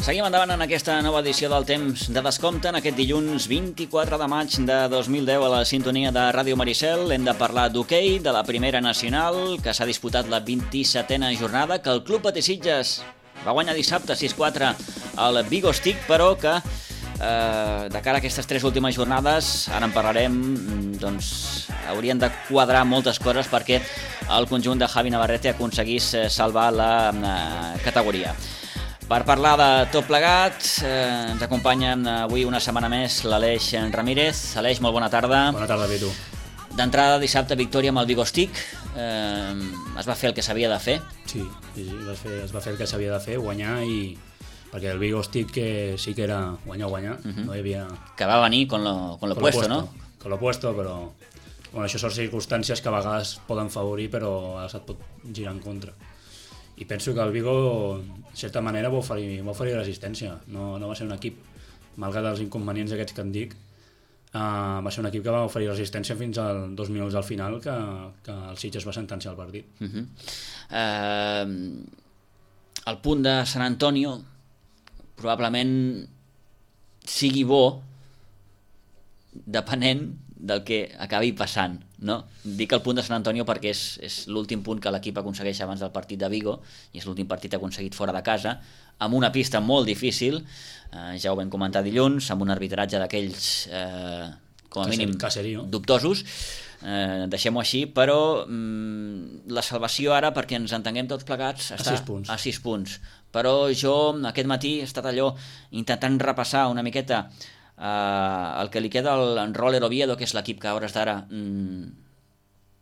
Seguim endavant en aquesta nova edició del Temps de Descompte, en aquest dilluns 24 de maig de 2010 a la sintonia de Ràdio Maricel. Hem de parlar d'hoquei, de la primera nacional, que s'ha disputat la 27a jornada, que el Club Patí Sitges va guanyar dissabte 6-4 al Vigo Stick, però que de cara a aquestes tres últimes jornades, ara en parlarem, doncs haurien de quadrar moltes coses perquè el conjunt de Javi Navarrete aconseguís salvar la categoria. Per parlar de tot plegat, ens acompanya avui una setmana més l'Aleix Ramírez. Aleix, molt bona tarda. Bona tarda, Pitu. D'entrada, dissabte, victòria amb el Vigo Stick. Es va fer el que s'havia de fer. Sí, es va fer el que s'havia de fer, guanyar, i perquè el Vigo Stick sí que era guanyar, no hi havia... Que va venir con lo puesto, ¿no? Con lo puesto, però... Bueno, això són circumstàncies que a vegades poden favorir, però a vegades et pot girar en contra. I penso que el Vigo, de certa manera, va oferir resistència. No va ser un equip, malgrat els inconvenients aquests que en dic, va ser un equip que va oferir resistència fins als 2 minuts al final, que el Sitges va sentenciar el partit. El punt de Sant Antonio probablement sigui bo depenent del que acabi passant, no? Dic el punt de Sant Antonio perquè és l'últim punt que l'equip aconsegueix abans del partit de Vigo, i és l'últim partit aconseguit fora de casa, amb una pista molt difícil, ja ho vam comentar dilluns, amb un arbitratge d'aquells com a mínim dubtosos, deixem-ho així, però la salvació ara, perquè ens entenguem tots plegats, està a 6 punts. Però jo aquest matí he estat allò intentant repassar una miqueta el que li queda al Roller Oviedo, que és l'equip que a hores d'ara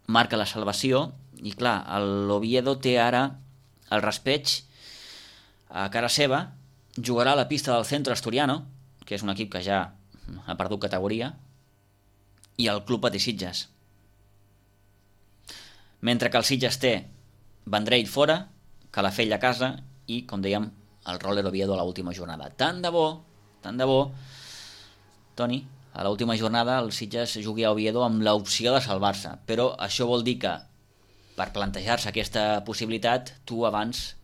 marca la salvació, i clar, l'Oviedo té ara el raspeig a cara seva, jugarà a la pista del Centro Asturiano, que és un equip que ja ha perdut categoria, i el Club Patí Sitges. Mentre que el Sitges té Vendrell fora, Calafell a casa i, com dèiem, el Roller Oviedo a l'última jornada. Tant de bo, Toni, a l'última jornada el Sitges jugui a Oviedo amb l'opció de salvar-se, però això vol dir que per plantejar-se aquesta possibilitat tu abans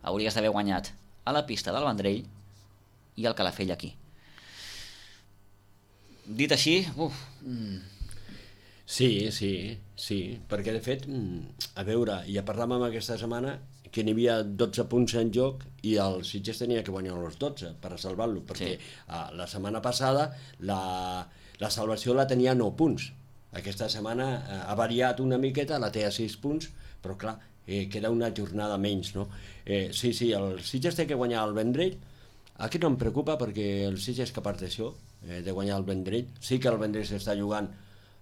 hauries d'haver guanyat a la pista del Vendrell i al Calafell aquí. Dit així, Sí, perquè de fet, a veure, ja parlàvem aquesta setmana que n'hi havia 12 punts en joc i el Sitges tenia que guanyar els 12 per salvar-lo, perquè la setmana passada la salvació la tenia a 9 punts. Aquesta setmana ha variat una miqueta, la té a 6 punts, però clar, queda una jornada menys, no? Sí, el Sitges té que guanyar el Vendrell. Aquí no em preocupa perquè el Sitges és capaç d'això, de guanyar el Vendrell. Sí que el Vendrell s'està jugant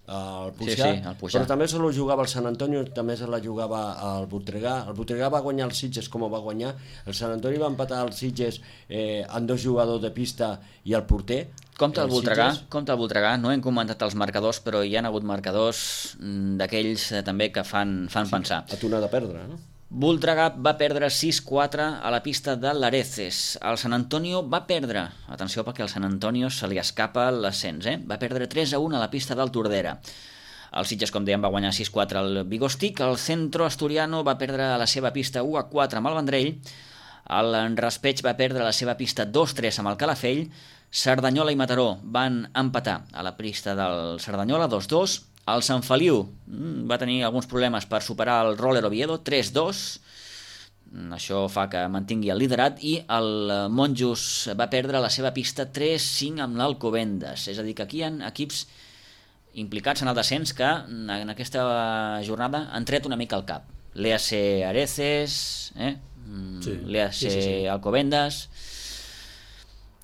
el Puigà, el Puigà, però també se la jugava el Sant Antonio, també se la jugava el Voltregà. El Voltregà va guanyar el Sitges com ho va guanyar, el Sant Antonio va empatar el Sitges amb 2 jugadors de pista i el porter. Compte el Voltregà, no hem comentat els marcadors, però hi ha hagut marcadors d'aquells també que fan pensar. A tu n'ha de perdre, no? Voltregà va perdre 6-4 a la pista de l'Areces. El Sant Antonio va perdre, atenció perquè al Sant Antonio se li escapa l'ascens, va perdre 3-1 a la pista del Tordera. El Sitges, com dèiem, va guanyar 6-4 al Vigo Stick. El Centro Asturiano va perdre a la seva pista 1-4 amb el Vendrell. El Raspeig va perdre a la seva pista 2-3 amb el Calafell. Cerdanyola i Mataró van empatar a la pista del Cerdanyola 2-2. El Sant Feliu va tenir alguns problemes per superar el Roller Oviedo 3-2. Això fa que mantingui el liderat, i el Monjos va perdre a la seva pista 3-5 amb l'Alcobendas. És a dir, que aquí hi ha equips implicats en el descens que en aquesta jornada han tret una mica al cap. L'EAC Areces, l'EAC Alcobendas.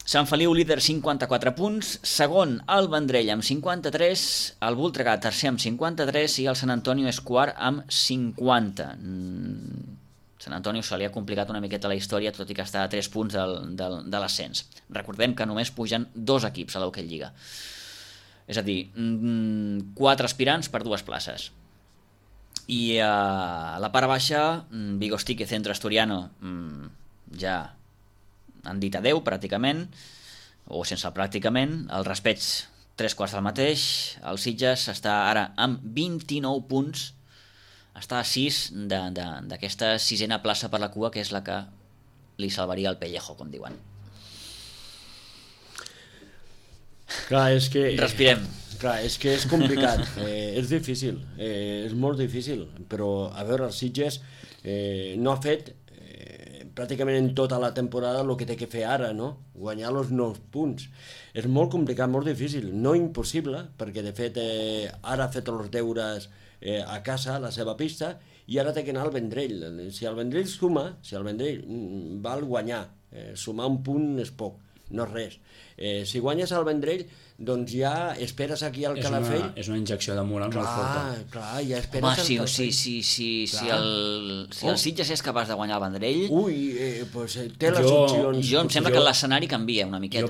Sant Feliu líder 54 punts, segon el Vendrell amb 53, el Voltregà tercer amb 53 i el Sant Antonio és quart amb 50. Sant Antonio se li ha complicat una miqueta la història, tot i que està a 3 punts de l'ascens. Recordem que només pugen 2 equips a l'Hockey Lliga. És a dir, 4 aspirants per 2 places. I a la part baixa, Vigo Stick i Centro Asturiano ja han dit adeu pràcticament, o sense pràcticament. El Raspeig 3/4 del mateix. El Sitges està ara amb 29 punts, està a 6 d'aquesta 6a plaça per la cua, que és la que li salvaria el pellejo, com diuen. Clar, és que... Respirem. Clar, és que és complicat, és difícil, és molt difícil, però a veure, el Sitges no ha fet pràcticament en tota la temporada el que té que fer ara, no? Guanyar els 9 punts. És molt complicat, molt difícil, no impossible, perquè de fet ara ha fet els deures a casa, a la seva pista, i ara té que anar al Vendrell. Si el Vendrell suma, si el Vendrell val guanyar, sumar un punt és poc, no és res. Si guanyes al Vendrell, doncs ja esperes aquí al Calafell. És una injecció de moral molt forta. Clar, ja esperes Home, al Calafell. si el Sitges és capaç de guanyar el Vendrell... Pues té les opcions. Jo em sembla que l'escenari canvia una miqueta.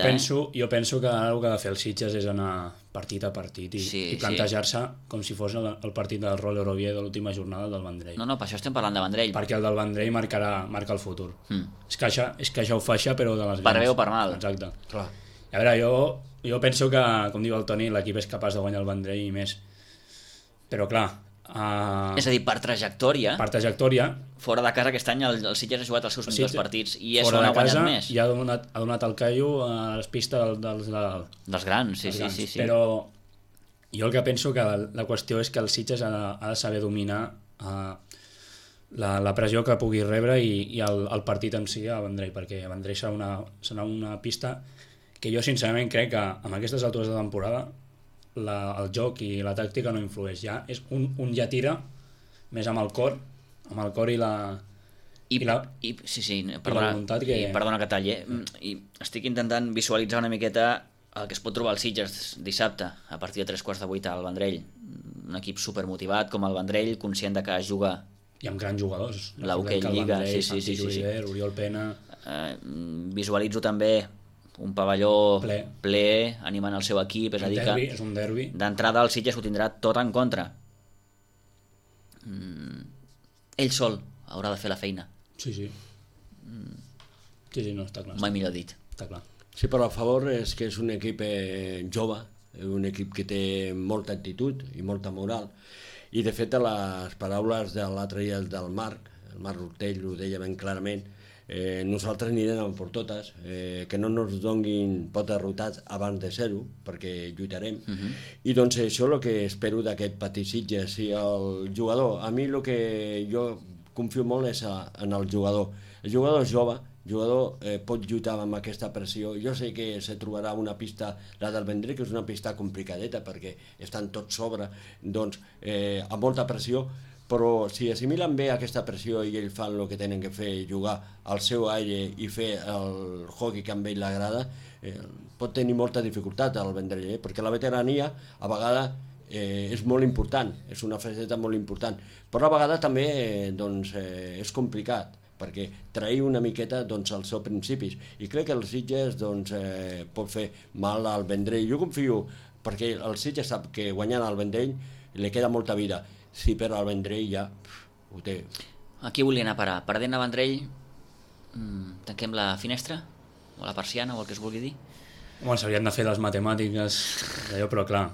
Jo penso que ara el que ha de fer el Sitges és anar partit a partit i plantejar-se com si fos el partit del Roller Oviedo de l'última jornada del Vendrell. No, per això estem parlant de Vendrell. Perquè el del Vendrell marca el futur. És que això ho faixa, però de les grans. Per bé o per mal. Exacte. Clar. A veure, jo penso que, com diu el Toni, l'equip és capaç de guanyar el Vendrell i més. Però clar... És a dir, per trajectòria... Fora de casa aquest any el Sitges ha jugat els seus millors partits i és on ha guanyat més. I ha donat el callo a les pistes dels grans, sí. Però jo el que penso que la qüestió és que el Sitges ha de saber dominar la pressió que pugui rebre i el partit en si a Vendrell, perquè a Vendrell serà una pista que jo sincerament crec que amb aquestes altures de temporada el joc i la tàctica no influeix. Ja és un ja tira més amb el cor i la voluntat que... Perdona que talli, i estic intentant visualitzar una miqueta el que es pot trobar al Sitges dissabte a partir de 3:45 al Vendrell. Un equip supermotivat com el Vendrell, conscient de que es juga i amb grans jugadors. La Hockey Lliga, sí. Oriol Pena... Visualitzo també un pavelló ple animant el seu equip, és a dir que és un derbi. D'entrada el Sitges ho tindrà tot en contra. Ell sol haurà de fer la feina. Sí, no, està clar. Mai millor dit. Està clar. Sí, però a favor és que és un equip jove, un equip que té molta actitud i molta moral, i de fet a les paraules de l'altre dia del Marc Rutell ho deia ben clarament, nosaltres anirem per totes, que no ens donguin pot derrotats abans de ser-ho, perquè lluitarem. I doncs això és el que espero d'aquest petit Sitges. I el jugador, a mi el que jo confio molt és en el jugador. El jugador és jove, el jugador pot lluitar amb aquesta pressió. Jo sé que se trobarà una pista, la del Vendrell, que és una pista complicadeta, perquè estan tots sobre, doncs, amb molta pressió, però si assimilen bé aquesta pressió i ells fan el que tenen que fer, jugar al seu aire i fer el hockey que a ell l'agrada, pot tenir molta dificultat al Vendrell, perquè la veterania a vegades és molt important, és una faceta molt important, però a vegades també és complicat, perquè trair una miqueta els seus principis, i crec que el Sitges pot fer mal al Vendrell. Jo confio, perquè el Sitges sap que guanyant al Vendrell li queda molta vida. Si per al Vendrell ja ho té. Aquí volia anar a parar. Perdent a Vendrell, tanquem la finestra? O la persiana, o el que es vulgui dir? Home, s'haurien de fer les matemàtiques d'allò, però clar,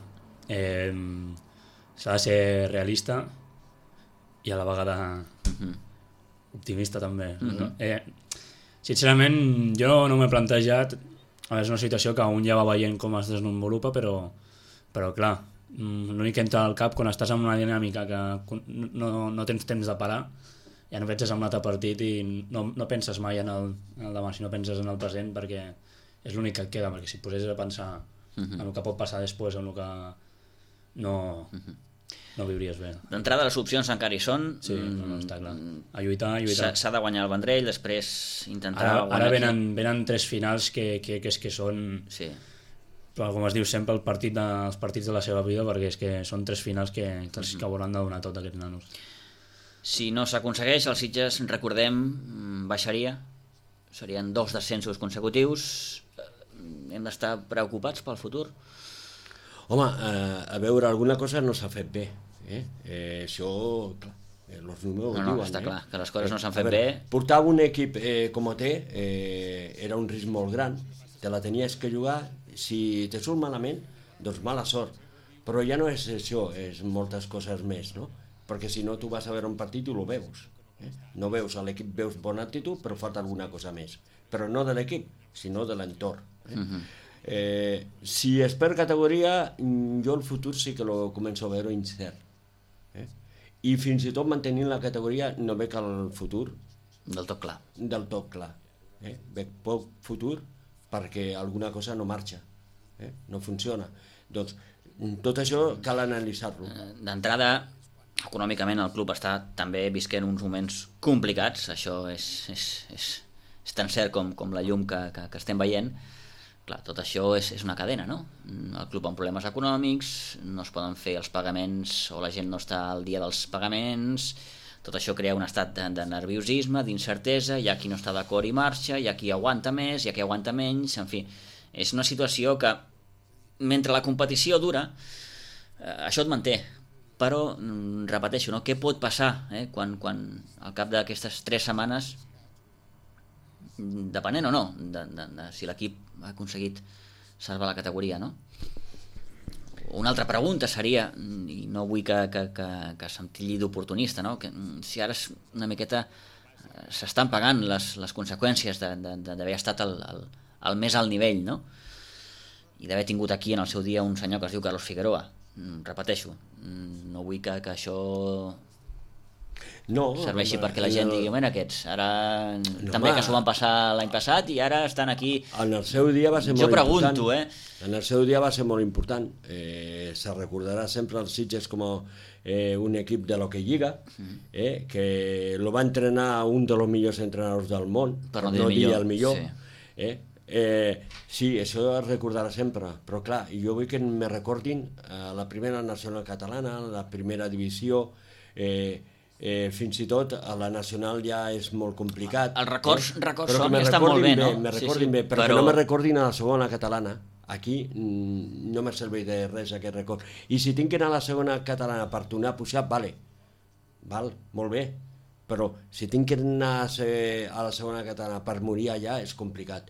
s'ha de ser realista i a la vegada optimista també. Sincerament, jo no m'he plantejat, és una situació que un ja va veient com es desenvolupa, però clar, l'únic que entra al cap quan estàs en una dinàmica que no tens temps de parar, ja no penses en l'altre partit i no penses mai en el demà, sinó penses en el present, perquè és l'únic que et queda, perquè si et posessis a pensar en el que pot passar després, en el que no viuries bé. D'entrada les opcions encara hi són. Sí, no, està clar. A lluitar. S'ha de guanyar el Vendrell, després intentar guanyar. Ara venen 3 finals que són... Sí. Però com es diu sempre, els partits de la seva vida, perquè és que són 3 finals que hauran de donar tot aquests nanos. Si no s'aconsegueix, el Sitges, recordem, baixaria. Serien 2 descensos consecutius. Hem d'estar preocupats pel futur? Home, a veure, alguna cosa no s'ha fet bé. Això, clar, els números ho diuen. Està clar, que les coses no s'han fet bé. Portar un equip com té era un risc molt gran. Te la tenies que jugar. Si te surt malament, doncs mala sort. Però ja no és això, és moltes coses més, no? Perquè si no, tu vas a veure un partit i ho veus. No veus a l'equip, veus bona actitud, però falta alguna cosa més. Però no de l'equip, sinó de l'entorn. Si es perd categoria, jo el futur sí que lo començo a veure incert. I fins i tot mantenint la categoria no veig el futur Del tot clar. Veig poc futur perquè alguna cosa no marxa, no funciona. Doncs tot això cal analitzar-lo. D'entrada, econòmicament el club està també visquent uns moments complicats, això és tan cert com la llum que estem veient. Clar, tot això és una cadena, no? El club amb problemes econòmics, no es poden fer els pagaments o la gent no està al dia dels pagaments, tot això crea un estat de nerviosisme, d'incertesa, hi ha qui no està d'acord i marxa, hi ha qui aguanta més, hi ha qui aguanta menys, en fi, és una situació que mentre la competició dura, això et manté, però repeteixo, no? Què pot passar quan al cap d'aquestes 3 setmanes, depenent o no de si l'equip ha aconseguit salvar la categoria, no? Una altra pregunta seria, i no vull que se'm tilli d'oportunista, no? Que si ara una miqueta s'estan pagant les conseqüències d'haver estat al més alt nivell, no? I d'haver tingut aquí en el seu dia un senyor que es diu Carlos Figueroa. Repeteixo, no vull que això serveixi perquè la gent digui, bueno, aquests ara també que s'ho van passar l'any passat i ara estan aquí. En el seu dia va ser molt important. Jo pregunto, En el seu dia va ser molt important. Se recordarà sempre els Sitges com un equip de l'Hockey-Lliga, que lo va entrenar un de los millors entrenadors del món, per no dir el millor. Sí, això es recordarà sempre, però clar, jo vull que me recordin la primera nacional catalana, la primera divisió, fins i tot a la nacional ja és molt complicat. Els records són que estan molt bé, no? Me recordin bé, però no me recordin a la segona catalana. Aquí no me serveix de res aquest record. I si tinc que anar a la segona catalana per tornar a pujar, val, molt bé, però si tinc que anar a la segona catalana per morir allà és complicat.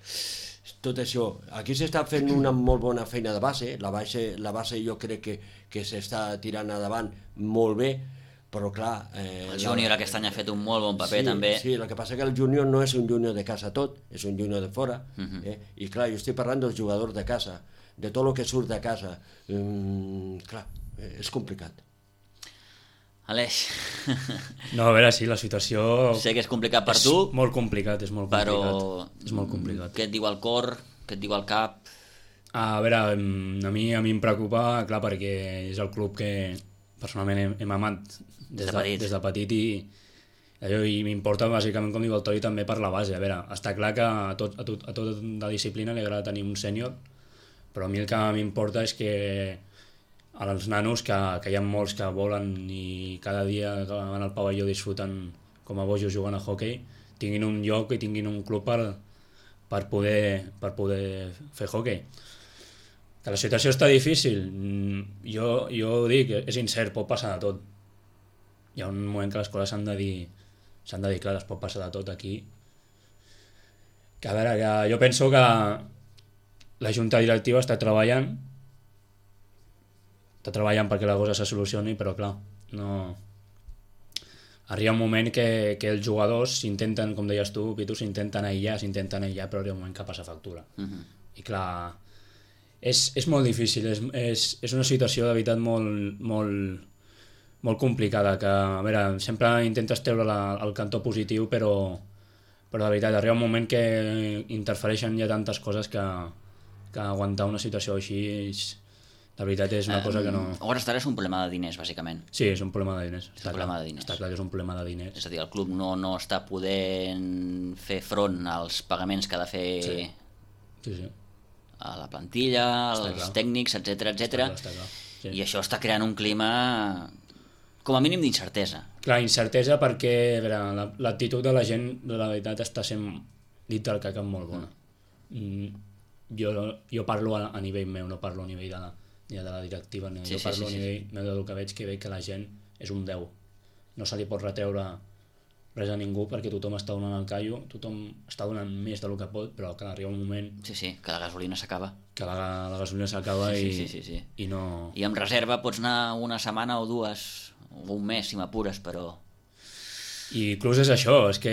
Tot això, aquí s'està fent una molt bona feina de base, la base jo crec que s'està tirant endavant molt bé, però clar... El júnior aquest any ha fet un molt bon paper també. Sí, el que passa que el júnior no és un júnior de casa tot, és un júnior de fora, i clar, jo estic parlant dels jugadors de casa, de tot el que surt de casa. Clar, és complicat. Aleix. No, a veure, sí, la situació... Sé que és complicat per tu. És molt complicat, és molt complicat. Però és molt complicat. Què et diu el cor, què et diu el cap? A veure, a mi em preocupa, clar, perquè és el club que personalment hem amat des de petit i m'importa bàsicament, com diu el Tori, també per la base. A veure, està clar que a tota la disciplina li agrada tenir un sènior, però a mi el que m'importa és que als nanos, que hi ha molts que volen i cada dia que van al pavelló disfruten com a bojos jugant a hoquei, tinguin un lloc i tinguin un club per poder fer hoquei. Que la situació està difícil, jo dic, és incert, pot passar de tot. Hi ha un moment que les coses s'han de dir clar, es pot passar de tot aquí. Que a veure, que jo penso que la junta directiva està treballant perquè la cosa se solucioni, però clar, no... Arriba un moment que els jugadors s'intenten, com deies tu, Pitu, s'intenten aïllar, però arriba un moment que passa factura. I clar, és molt difícil, és una situació de veritat molt complicada, que a veure, sempre intentes treure el cantó positiu, però de veritat arriba un moment que interfereixen ja tantes coses que aguantar una situació així de veritat és una cosa que no... A hores d'ara és un problema de diners, bàsicament. Sí, és un problema de diners. Està clar que és un problema de diners. És a dir, el club no està podent fer front als pagaments que ha de fer Sí. a la plantilla, als tècnics, etc. Està clar. Sí. I això està creant un clima com a mínim d'incertesa. Clar, incertesa perquè a veure, l'actitud de la gent de la veritat està sent dit del caca molt bona. Jo parlo a nivell meu, no parlo a nivell de la directiva, jo parlo a nivell meu del que veig que la gent és un 10. No se li pot retreure res a ningú perquè tothom està donant el callo, tothom està donant més del que pot, però que arriba un moment... Sí, que la gasolina s'acaba. Que la gasolina s'acaba i no... I amb reserva pots anar una setmana o dues, o un mes si m'apures, però... I inclús és això, és que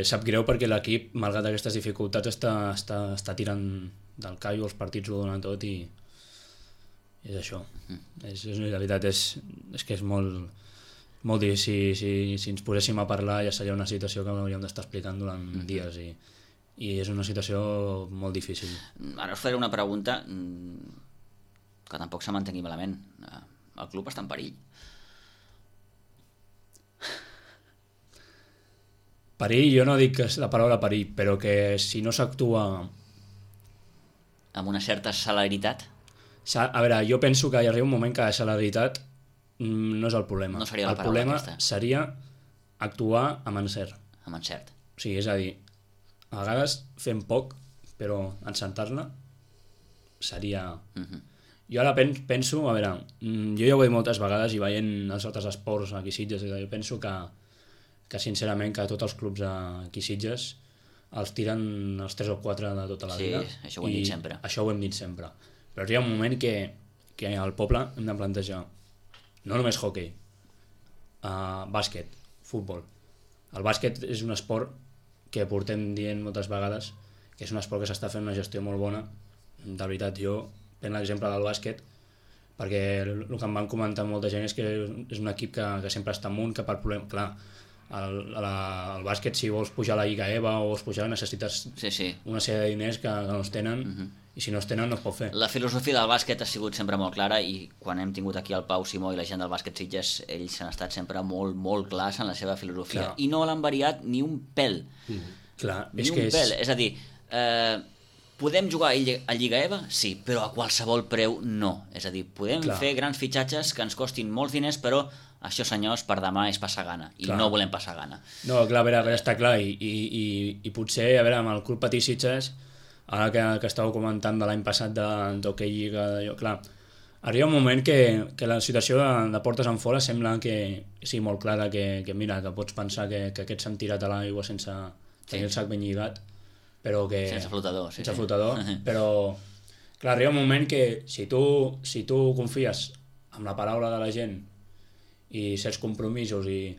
sap greu perquè l'equip, malgrat aquestes dificultats, està tirant del callo, els partits ho donen tot i és això. La veritat és que és molt difícil. Si ens poséssim a parlar ja seria una situació que hauríem d'estar explicant durant dies i és una situació molt difícil. Ara us faré una pregunta que tampoc se m'entengui malament. El club està en perill? Perill, jo no dic que és la paraula perill, però que si no s'actua... Amb una certa celeritat? A veure, jo penso que hi arriba un moment que la celeritat no és el problema. No seria la el paraula problema aquesta. seria actuar amb encert. Amb encert. O sigui, és a dir, a vegades fem poc, però encertar-la seria... Jo ara penso, a veure, jo ja ho he dit moltes vegades i veient els altres esports aquí a Sitges, jo penso que sincerament que tots els clubs aquí a Sitges els tiren els 3 o 4 de tota la vida. Sí, això ho hem dit sempre. Això ho hem dit sempre. Però hi ha un moment que al poble hem de plantejar no només hoquei, bàsquet, futbol. El bàsquet és un esport que portem dient moltes vegades que és un esport que s'està fent una gestió molt bona. De veritat, jo prenc l'exemple del bàsquet perquè el que em van comentar molta gent és que és un equip que sempre està amunt, que per problema... Clar, el bàsquet, si vols pujar a la Lliga EVA o vols pujar, necessites una sèrie de diners que no es tenen i si no es tenen no es pot fer. La filosofia del bàsquet ha sigut sempre molt clara i quan hem tingut aquí el Pau Simó i la gent del bàsquet Sitges, ells han estat sempre molt, molt clars en la seva filosofia. Clar. I no l'han variat ni un pèl. Clar, ni un pèl. És a dir, podem jugar a Lliga EVA? Sí, però a qualsevol preu no. És a dir, podem fer grans fitxatges que ens costin molts diners, però això, senyors, per demà és passar gana i no volem passar gana. No, clar, a veure, està clar i potser, a veure, amb el Club Patí Sitges, ara que estàveu comentant de l'any passat d'Hockey Lliga, clar, arriba un moment que la situació de portes en fora sembla que sigui molt clara, que mira, que pots pensar que aquests s'han tirat a l'aigua sense tenir el sac ben lligat, però que... Sense flotador, sense flotador, però clar, arriba un moment que si tu confies en la paraula de la gent i certs compromisos i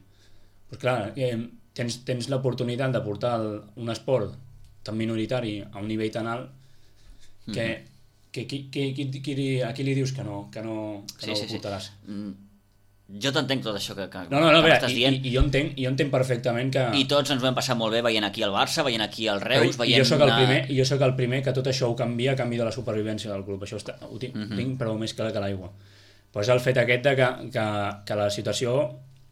pues clar, tens l'oportunitat de portar un esport tan minoritari a un nivell tan alt que a qui li dius que no ho portaràs? Jo t'entenc tot això que m'estàs dient i jo entenc perfectament que... I tots ens ho hem passat molt bé veient aquí el Barça, veient aquí el Reus, veient... Jo soc el primer que tot això ho canvia a canvi de la supervivència del club, això ho tinc però més clar que l'aigua. Però és el fet aquest que la situació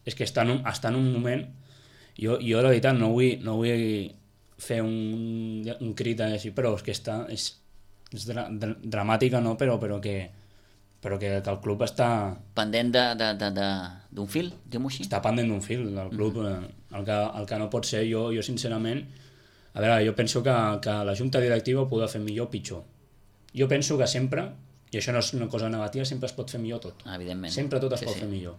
és que està en un moment... Jo la veritat no vull fer un crit així, però és que és dramàtica, no? Però que el club està... Pendent d'un fil, diguem-ho així? Està pendent d'un fil, del club. El que no pot ser, jo sincerament... A veure, jo penso que la junta directiva ho podrà fer millor o pitjor. Jo penso que sempre... I això no és una cosa negativa, sempre es pot fer millor tot. Evidentment. Sempre tot es pot fer millor.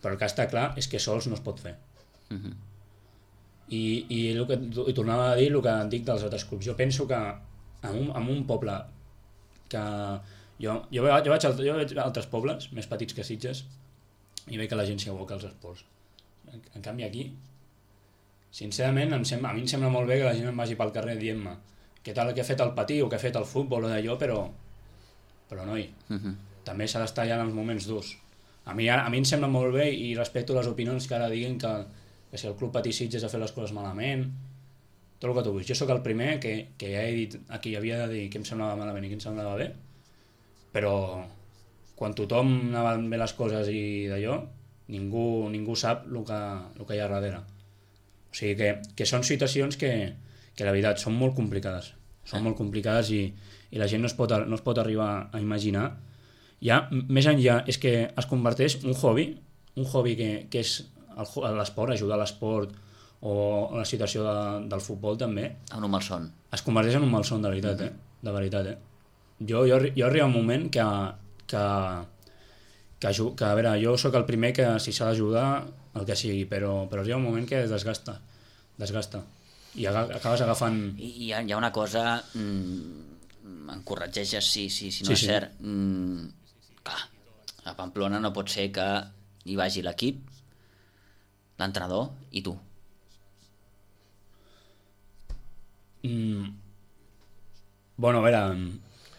Però el que està clar és que sols no es pot fer. I tornava a dir el que dic dels altres clubs. Jo penso que en un poble que... Jo vaig a altres pobles més petits que Sitges i veig que la gent s'hi aboca als esports. En canvi aquí, sincerament, a mi em sembla molt bé que la gent em vagi pel carrer dient-me què tal que ha fet el patí o que ha fet el futbol o d'allò, però noi, també s'ha d'estar allà en els moments durs. A mi em sembla molt bé i respecto les opinions que ara diguin que si el Club Patí Sitges ha fet les coses malament, tot el que tu vull. Jo sóc el primer que ja he dit aquí, havia de dir què em semblava malament i què em semblava bé, però quan tothom anaven bé les coses i d'allò, ningú sap el que hi ha darrere. O sigui que són situacions que la veritat són molt complicades. Són molt complicades i la gent no es pot arribar a imaginar. Ja, més enllà, és que es converteix un hobby que és l'esport, ajudar a l'esport o la situació del futbol també. En un malson. Es converteix en un malson, de veritat, de veritat. Jo arriba un moment que a veure, jo sóc el primer que si s'ha d'ajudar el que sigui, però arriba un moment que es desgasta i acabes agafant... I hi ha una cosa, em corregeixes si no és cert, clar, a Pamplona no pot ser que hi vagi l'equip, l'entrenador i tu. Bueno, a veure,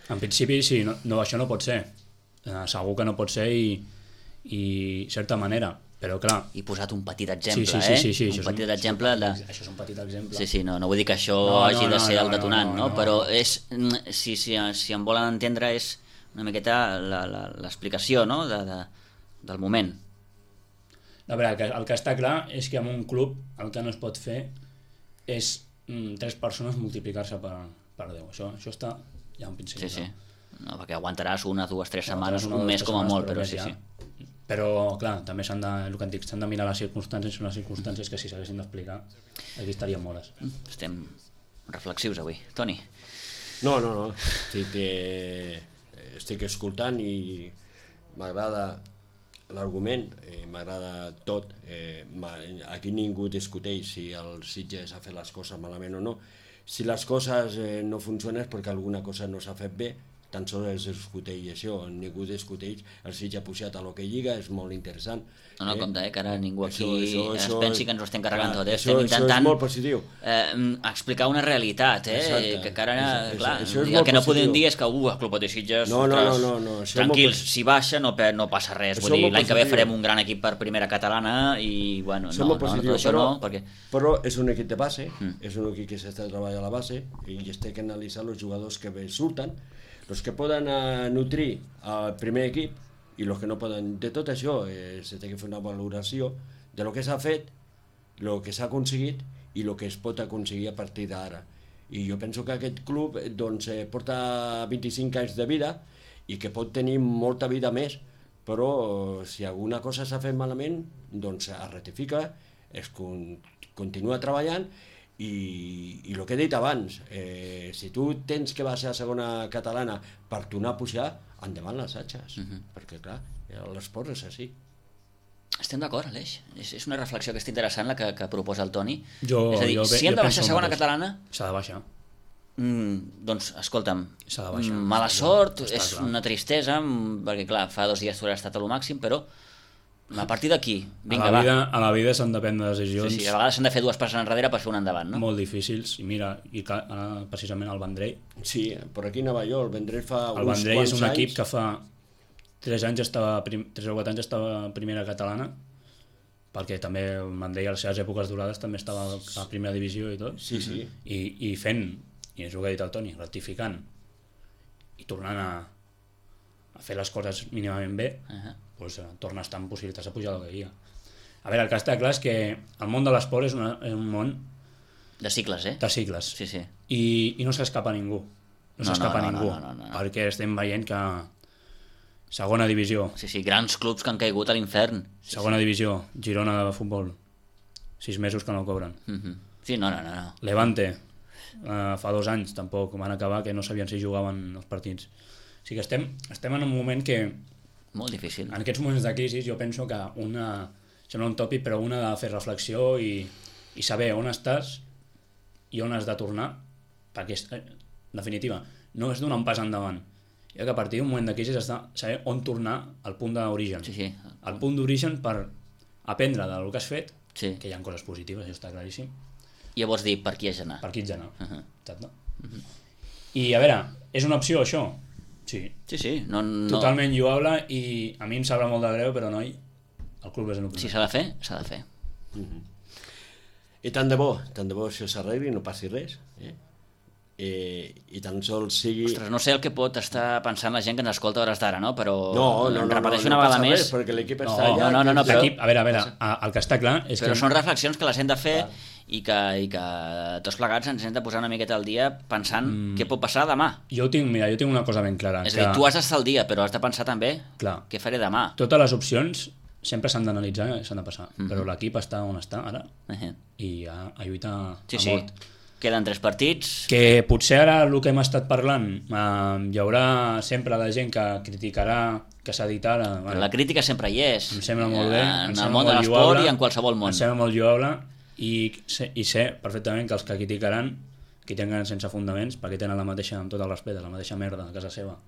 en principi sí, això no pot ser. Segur que no pot ser i certa manera, però clar... I posat un petit exemple, sí, un petit exemple de... Això és un petit exemple. Sí, no vull dir que això hagi de ser el detonant, no? Però és, si em volen entendre, és una miqueta l'explicació, no? Del moment. A veure, el que està clar és que en un club el que no es pot fer és 3 persones multiplicar-se per 10. Això està ja en principi. Sí. No, perquè aguantaràs 1, 2, 3 setmanes, un mes com a molt, però sí. Però, clar, també s'han de mirar les circumstàncies, són les circumstàncies que si s'haguessin d'explicar aquí estaríem hores. Estem reflexius avui. Toni? No. Estic escoltant i m'agrada l'argument, m'agrada tot. Aquí ningú discuteix si el Sitges ha fet les coses malament o no. Si les coses no funcionen és perquè alguna cosa no s'ha fet bé, tan sols es discuteix això, ningú discuteix, el Sitges ha pujat a l'Hockey Lliga, és molt interessant. No, compte, que ara ningú aquí es pensi que ens ho estem carregant tot, estem intentant... Això és molt positiu. Explicar una realitat, Exacte. Que ara, clar, el que no podem dir és que el Club Hockey Sitges, no, tranquils, si baixa no passa res, vull dir, l'any que ve farem un gran equip per primera catalana i, bueno, tot això no, perquè... Però és un equip de base, és un equip que s'està treballant a la base i es té que analitzar els jugadors que surten, els que poden nutrir el primer equip i els que no poden. De tot això se té que fer una valoració de lo que s'ha fet, el que s'ha aconseguit i el que es pot aconseguir a partir d'ara. I jo penso que aquest club porta 25 anys de vida i que pot tenir molta vida més, però si alguna cosa s'ha fet malament, doncs es rectifica, es continua treballant. I el que he dit abans, si tu tens que baixar a segona catalana per tornar a pujar, endavant les atxes, perquè clar, l'esport és així. Estem d'acord, Aleix, és una reflexió que és interessant la que proposa el Toni. És a dir, si hem de baixar a segona catalana, s'ha de baixar. Doncs escolta'm, s'ha de baixar, mala sort, és una tristesa, perquè clar, fa 2 dies tu has estat a lo màxim, però a partir d'aquí, vinga, va. A la vida s'han de prendre decisions. Sí, a vegades s'han de fer 2 passes enrere per fer un endavant, no? Molt difícils, i mira, precisament el Vendrell. Sí, per aquí anava jo, el Vendrell fa uns quants anys. El Vendrell és un equip que fa 3 o 4 anys estava a primera catalana, perquè també el Vendrell a les seves èpoques durades també estava a primera divisió i tot. Sí. I fent, i és el que ha dit el Toni, rectificant i tornant a fer les coses mínimament bé, doncs torna a estar en possibilitats de pujar a la Lliga. A veure, el que està clar és que el món de l'esport és un món de cicles, de cicles. Sí. I no s'escapa ningú. No s'escapa ningú, perquè estem veient que segona divisió. Sí, grans clubs que han caigut a l'infern. Segona divisió, Girona de futbol, 6 mesos que no cobren. Sí, no. Levante, fa 2 anys tampoc van acabar, que no sabien si jugaven els partits. O sigui que estem en un moment que... Molt difícil. En aquests moments de crisi jo penso que sembla un tòpic, però una ha de fer reflexió i saber on estàs i on has de tornar, perquè en definitiva no és donar un pas endavant, ja que a partir d'un moment de crisi has de saber on tornar al punt d'origen. Sí. Al punt d'origen per aprendre del que has fet, que hi ha coses positives, això està claríssim. I llavors dir per qui has d'anar. Per qui has d'anar, exacte. I a veure, és una opció això? Sí. No. Totalment lloable, i a mi em sabrà molt de greu, però noi, el club és el primer. Si s'ha de fer, s'ha de fer. I tant de bo això s'arregli, no passi res, i tan sols sigui... Ostres, no sé el que pot estar pensant la gent que ens escolta a hores d'ara, no? Però repeteixo una vegada més... perquè l'equip està allà... No, però... A veure, el que està clar és que... Però són reflexions que les hem de fer i que tots plegats ens hem de posar una miqueta al dia pensant què pot passar demà. Jo tinc una cosa ben clara. És a dir, tu has d'estar al dia, però has de pensar també què faré demà. Totes les opcions sempre s'han d'analitzar i s'han de passar, però l'equip està on està ara i a lluitar a mort. Queden 3 partits. Que potser ara el que hem estat parlant hi haurà sempre la gent que criticarà que s'ha dit ara. Però la crítica sempre hi és. Em sembla molt bé. En el món de l'esport i en qualsevol món. Em sembla molt lloable i sé perfectament que els que criticaran, que tenen sense fundaments, perquè tenen la mateixa, amb tot el respecte, la mateixa merda a casa seva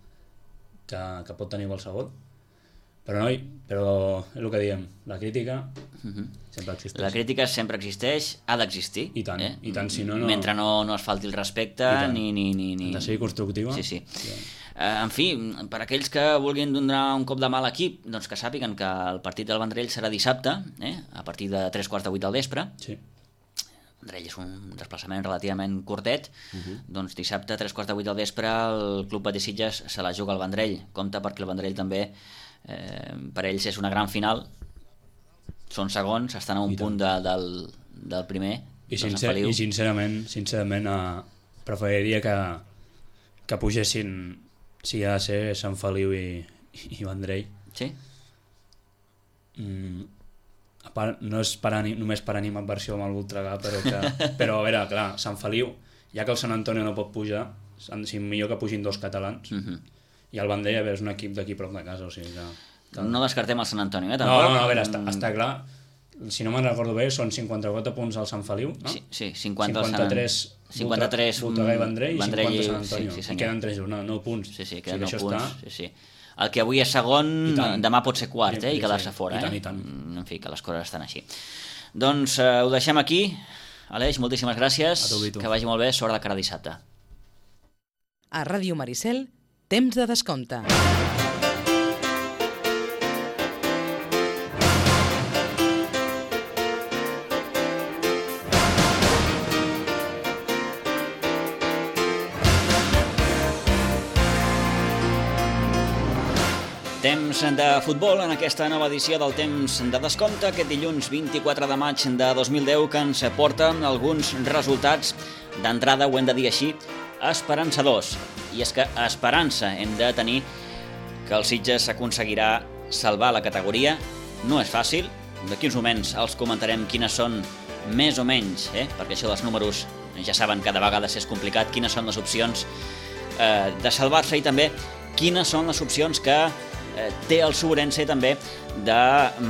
que pot tenir qualsevol, Però és el que diem, la crítica sempre existeix. La crítica sempre existeix, ha d'existir. I tant, si no... Mentre no es falti el respecte ni... Ha de ser constructiva. Sí. En fi, per aquells que vulguin donar un cop de mà a l'equip, doncs que sàpiguen que el partit del Vendrell serà dissabte, a partir de 3:15 del vespre. Sí. Vendrell és un desplaçament relativament curtet, doncs dissabte 3:15 del vespre el Club Betis Sitges se la juga al Vendrell. Compte perquè el Vendrell també, per ells és una gran final, són segons, estan a un punt del primer. I sincerament preferiria que pugessin, si ha de ser, Sant Feliu i Vendrell. Sí? No és només per animadversió amb el Voltregà, però a veure, clar, Sant Feliu, ja que el Sant Antonio no pot pujar, millor que pugin 2 catalans, i el Vendrell, a veure, és un equip d'aquí prop de casa, o sigui que... No descartem el Sant Antonio, tampoc? No, a veure, està clar, si no me'n recordo bé, són 54 punts al Sant Feliu, no? Sí, 53 Voltregà i Vendrell, i 50 Sant Antonio, i queden 3 jornades, 9 punts. Sí, queden 9 punts, El que avui és segon, demà pot ser quart, i quedar-se fora. I tant. En fi, que les coses estan així. Doncs ho deixem aquí. Aleix, moltíssimes gràcies. Que vagi molt bé, sort de cara a dissabte. A Ràdio Maricel, temps de descompte. Temps de futbol en aquesta nova edició del Temps de Descompte, aquest dilluns 24 de maig de 2010, que ens porta alguns resultats d'entrada, ho hem de dir així, esperançadors. I és que esperança hem de tenir que el Sitges aconseguirà salvar la categoria. No és fàcil, d'aquí uns moments els comentarem quines són més o menys, perquè això dels números ja saben que de vegades és complicat, quines són les opcions de salvar-se i també quines són les opcions que té el Sobrense també de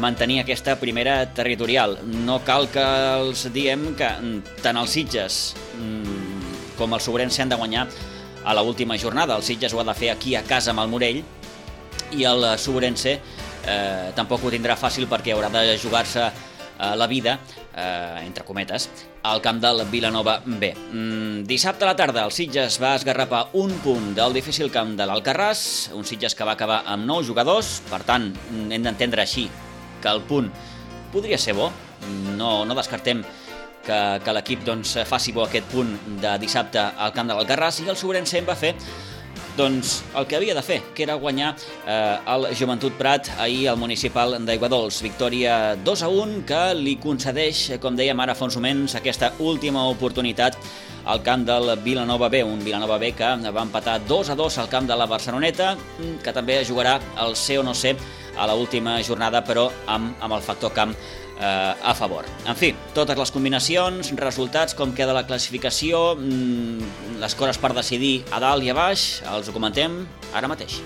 mantenir aquesta primera territorial. No cal que els diem que tant els Sitges com el Sobrense han de guanyar a l'última jornada. El Sitges ho ha de fer aquí a casa amb el Morell i el Sobrense tampoc ho tindrà fàcil perquè haurà de jugar-se la vida, entre cometes, al camp del Vilanova B. Dissabte a la tarda el Sitges va esgarrapar un punt del difícil camp de l'Alcarràs, un Sitges que va acabar amb 9 jugadors, per tant hem d'entendre així que el punt podria ser bo, no descartem que l'equip faci bo aquest punt de dissabte al camp de l'Alcarràs, i el Sobrense va fer el que havia de fer, que era guanyar el Joventut Prat ahir al municipal d'Aiguadols. Victòria 2-1 que li concedeix, com dèiem ara fa uns moments, aquesta última oportunitat al camp del Vilanova B, un Vilanova B que va empatar 2-2 al camp de la Barceloneta, que també jugarà el ser o no ser a l'última jornada, però amb el factor camp a favor. En fi, totes les combinacions, resultats, com queda la classificació, les coses per decidir a dalt i a baix, els ho comentem ara mateix.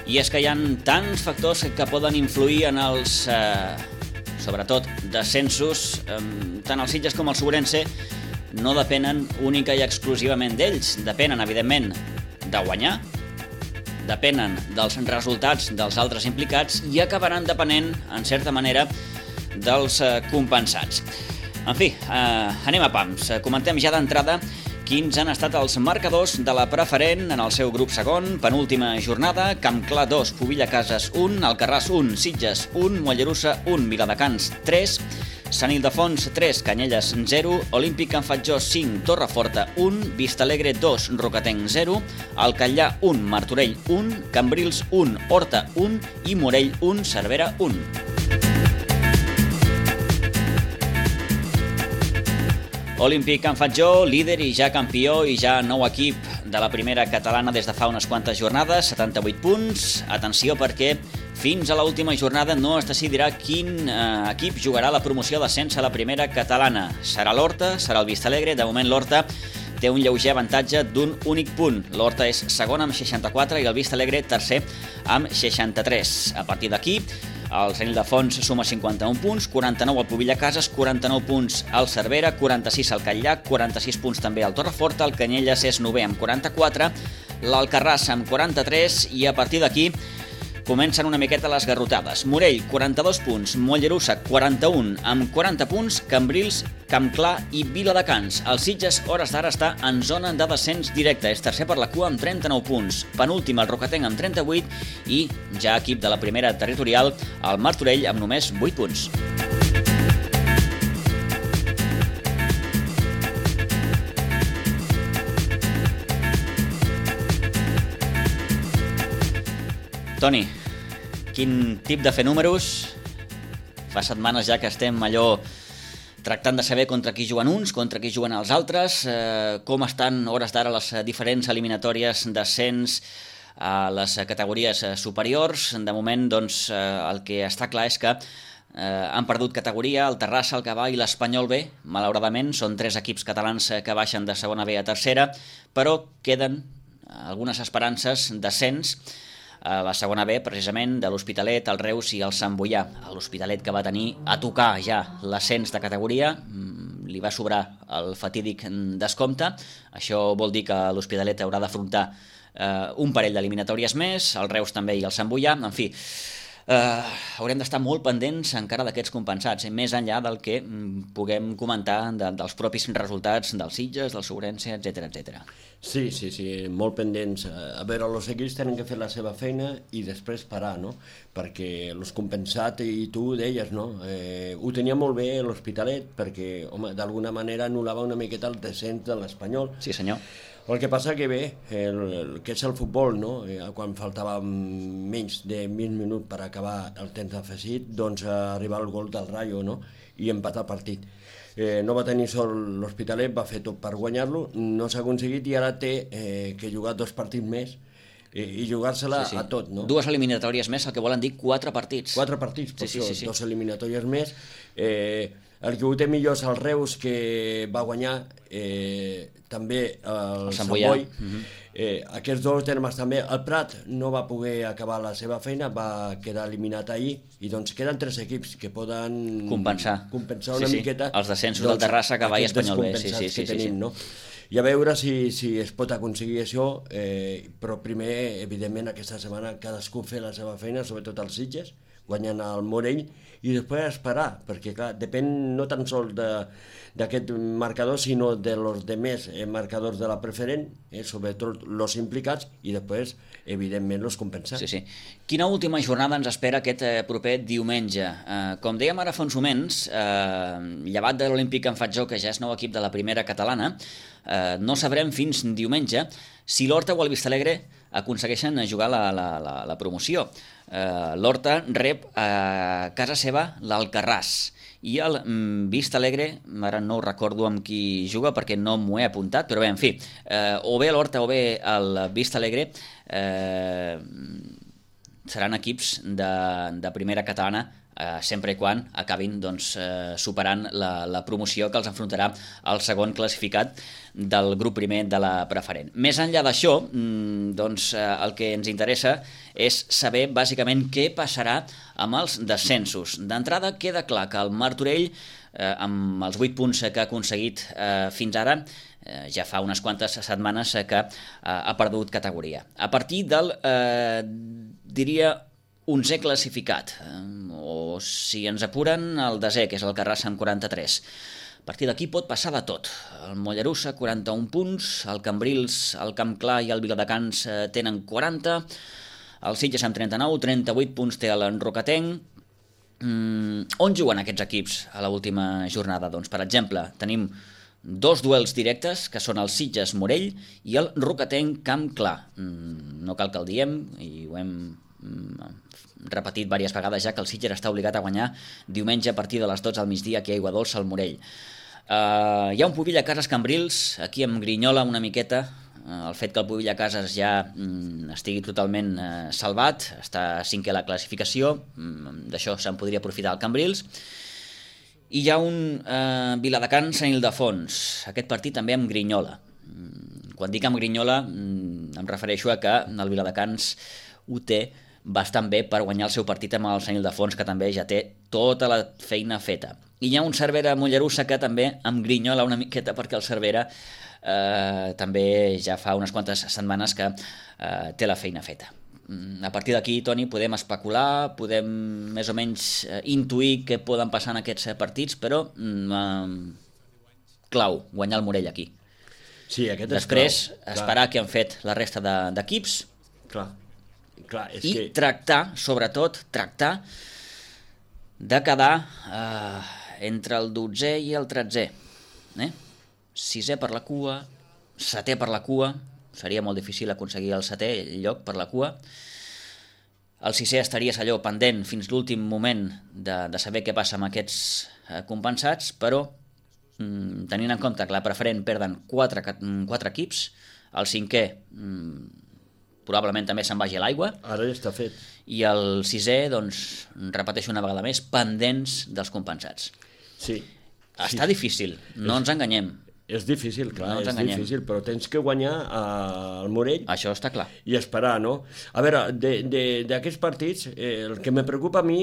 I és que hi ha tants factors que poden influir en els, sobretot, descensos. Tant els Sitges com el Sobrense no depenen única i exclusivament d'ells. Depenen, evidentment, de guanyar, depenen dels resultats dels altres implicats i acabaran depenent, en certa manera, dels compensats. En fi, anem a pams. Comentem ja d'entrada quins han estat els marcadors de la preferent en el seu grup segon, penúltima jornada. Campclar 2, Pubilla Cases 1, Alcarràs 1, Sitges 1, Mollerussa 1, Viladecans 3, Sant Ildefons 3, Canyelles 0, Olímpic Can Fatjó 5, Torreforta 1, Vistalegre 2, Rocatenc 0, Alcallà 1, Martorell 1, Cambrils 1, Horta 1 i Morell 1, Cervera 1. Olímpic Can Fatjó, líder i ja campió i ja nou equip de la primera catalana des de fa unes quantes jornades, 78 punts. Atenció perquè fins a l'última jornada no es decidirà quin equip jugarà la promoció d'ascens a la primera catalana. Serà l'Horta, serà el Vistalegre, de moment l'Horta té un lleuger avantatge d'un únic punt. L'Horta és segon amb 64 i el Vistalegre tercer amb 63. A partir d'aquí, el Sant Ildefons suma 51 punts, 49 al Pobilla Cases, 49 punts al Cervera, 46 al Catllac, 46 punts també al Torreforta, el Canyelles és 9è amb 44, l'Alcarràs amb 43 i a partir d'aquí comencen una miqueta les garrotades. Morell, 42 punts, Mollerussa, 41 amb 40 punts, Cambrils, Campclar i Viladecans. El Sitges, hores d'ara, està en zona de descens directe. És tercer per la cua amb 39 punts. Penúltim, el Rocatenc amb 38 i ja equip de la primera territorial, el Martorell amb només 8 punts. Toni, quin tip de fer números? Fa setmanes ja que estem allò tractant de saber contra qui juguen uns, contra qui juguen els altres, com estan hores d'ara les diferents eliminatòries d'ascens a les categories superiors. De moment, doncs, el que està clar és que han perdut categoria el Terrassa, el Gavà i l'Espanyol B. Malauradament, són 3 equips catalans que baixen de segona B a tercera, però queden algunes esperances d'ascens a la segona B, precisament, de l'Hospitalet, el Reus i el Sant Boià. L'Hospitalet, que va tenir a tocar ja l'ascens de categoria, li va sobrar el fatídic descompte. Això vol dir que l'Hospitalet haurà d'afrontar un parell d'eliminatòries més, el Reus també i el Sant Boià. En fi, haurem d'estar molt pendents encara d'aquests compensats, més enllà del que puguem comentar dels propis resultats dels Sitges, del Ourense, etc etc. Sí, molt pendents. A veure, els equips tenen que fer la seva feina i després parar, no? Perquè els compensats, i tu ho deies, no? Ho tenia molt bé l'Hospitalet, perquè, home, d'alguna manera anul·lava una miqueta el descens de l'Espanyol. Sí, senyor. El que passa que bé, el que és el futbol, no? Quan faltava menys de 20 minuts per acabar el temps afegit, doncs arriba el gol del Rayo, no? I empatar el partit. No va tenir sol l'Hospitalet, va fer tot per guanyar-lo, no s'ha aconseguit i ara té que jugar 2 partits més i jugar-se-la a tot, no? 2 eliminatòries més, el que volen dir 4 partits. 4 partits, per sí. 2 eliminatòries més. El que ho té millor és el Reus, que va guanyar també el Sant Boi. Aquests 2 termes també. El Prat no va poder acabar la seva feina, va quedar eliminat ahir, i doncs queden 3 equips que poden compensar una miqueta els descensos del Terrassa, Gavà i Espanyol B. que tenim, no? I a veure si es pot aconseguir això, però primer, evidentment, aquesta setmana cadascú fer la seva feina, sobretot els Sitges, guanyant el Morell, i després esperar, perquè clar, depèn no tan sols d'aquest marcador, sinó de los demés marcadors de la preferent, sobretot els implicats, i després, evidentment, els compensats. Sí. Quina última jornada ens espera aquest proper diumenge? Com dèiem ara fa uns moments, llevat de l'Olímpic en Fatjó, que ja és nou equip de la primera catalana, no sabrem fins diumenge si l'Horta o el Vistalegre aconsegueixen jugar la promoció. L'Horta rep a casa seva l'Alcarràs i el Vistalegre, ara no ho recordo amb qui juga perquè no m'ho he apuntat, però bé, en fi, o bé l'Horta o bé el Vistalegre seran equips de primera catalana, sempre i quan acabin superant la promoció que els enfrontarà el segon classificat del grup primer de la preferent. Més enllà d'això, el que ens interessa és saber bàsicament què passarà amb els descensos. D'entrada queda clar que el Martorell, amb els 8 punts que ha aconseguit fins ara, ja fa unes quantes setmanes que ha perdut categoria. A partir del, diria, 11è classificat, o si ens apuren el 10è, que és el Carrassa amb 43. A partir d'aquí pot passar de tot. El Mollerussa, 41 punts, el Cambrils, el Campclar i el Viladecans tenen 40, el Sitges amb 39, 38 punts té el Rocatenc. On juguen aquests equips a l'última jornada? Doncs, per exemple, tenim 2 duels directes, que són el Sitges-Morell i el Rocatenc-Campclar. No cal que el diem, i ho hem repetit diverses vegades ja, que el Sitges està obligat a guanyar diumenge a partir de les 12 al migdia aquí a Aiguadols al Morell. Hi ha un Pobilla Cases Cambrils, aquí em grinyola una miqueta el fet que el Pobilla Cases ja estigui totalment salvat, està 5è a la classificació, d'això se'n podria aprofitar el Cambrils. I hi ha un Viladecans Sant Ildefons, aquest partit també em grinyola. Quan dic amb grinyola em refereixo a que el Viladecans ho té bastant bé per guanyar el seu partit amb el Sant Ildefons, que també ja té tota la feina feta. I hi ha un Cervera Mollerussa que també em grinyola una miqueta, perquè el Cervera també ja fa unes quantes setmanes que té la feina feta. A partir d'aquí, Toni, podem especular, podem més o menys intuir què poden passar en aquests partits, però clau, guanyar el Morell aquí. Sí, aquest és després, clau. esperar què han fet la resta d'equips és i que... tractar, sobretot, de quedar entre el 12è i el 13è. 6è per la cua, 7è per la cua, seria molt difícil aconseguir el 7è lloc per la cua. El 6è estaries allò pendent fins l'últim moment de saber què passa amb aquests compensats, però tenint en compte que la preferent perden 4 equips, el 5è probablement també se'n vagi a l'aigua. Ara ja està fet. I el 6è, doncs, repeteixo una vegada més, pendents dels compensats. Sí. Està difícil, no ens enganyem. És difícil, clar, no és difícil, però tens que guanyar el Morell. Això està clar. I esperar, no? A veure, d'aquests partits, el que me preocupa a mi,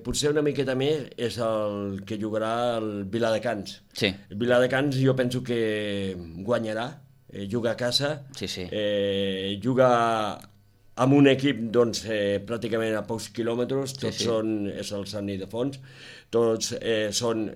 potser una miqueta més, és el que jugarà el Viladecans. Sí. El Viladecans jo penso que guanyarà, juga a casa, sí. Juga amb un equip doncs, pràcticament a pocs quilòmetres, tots és el Sant Ildefons, tots són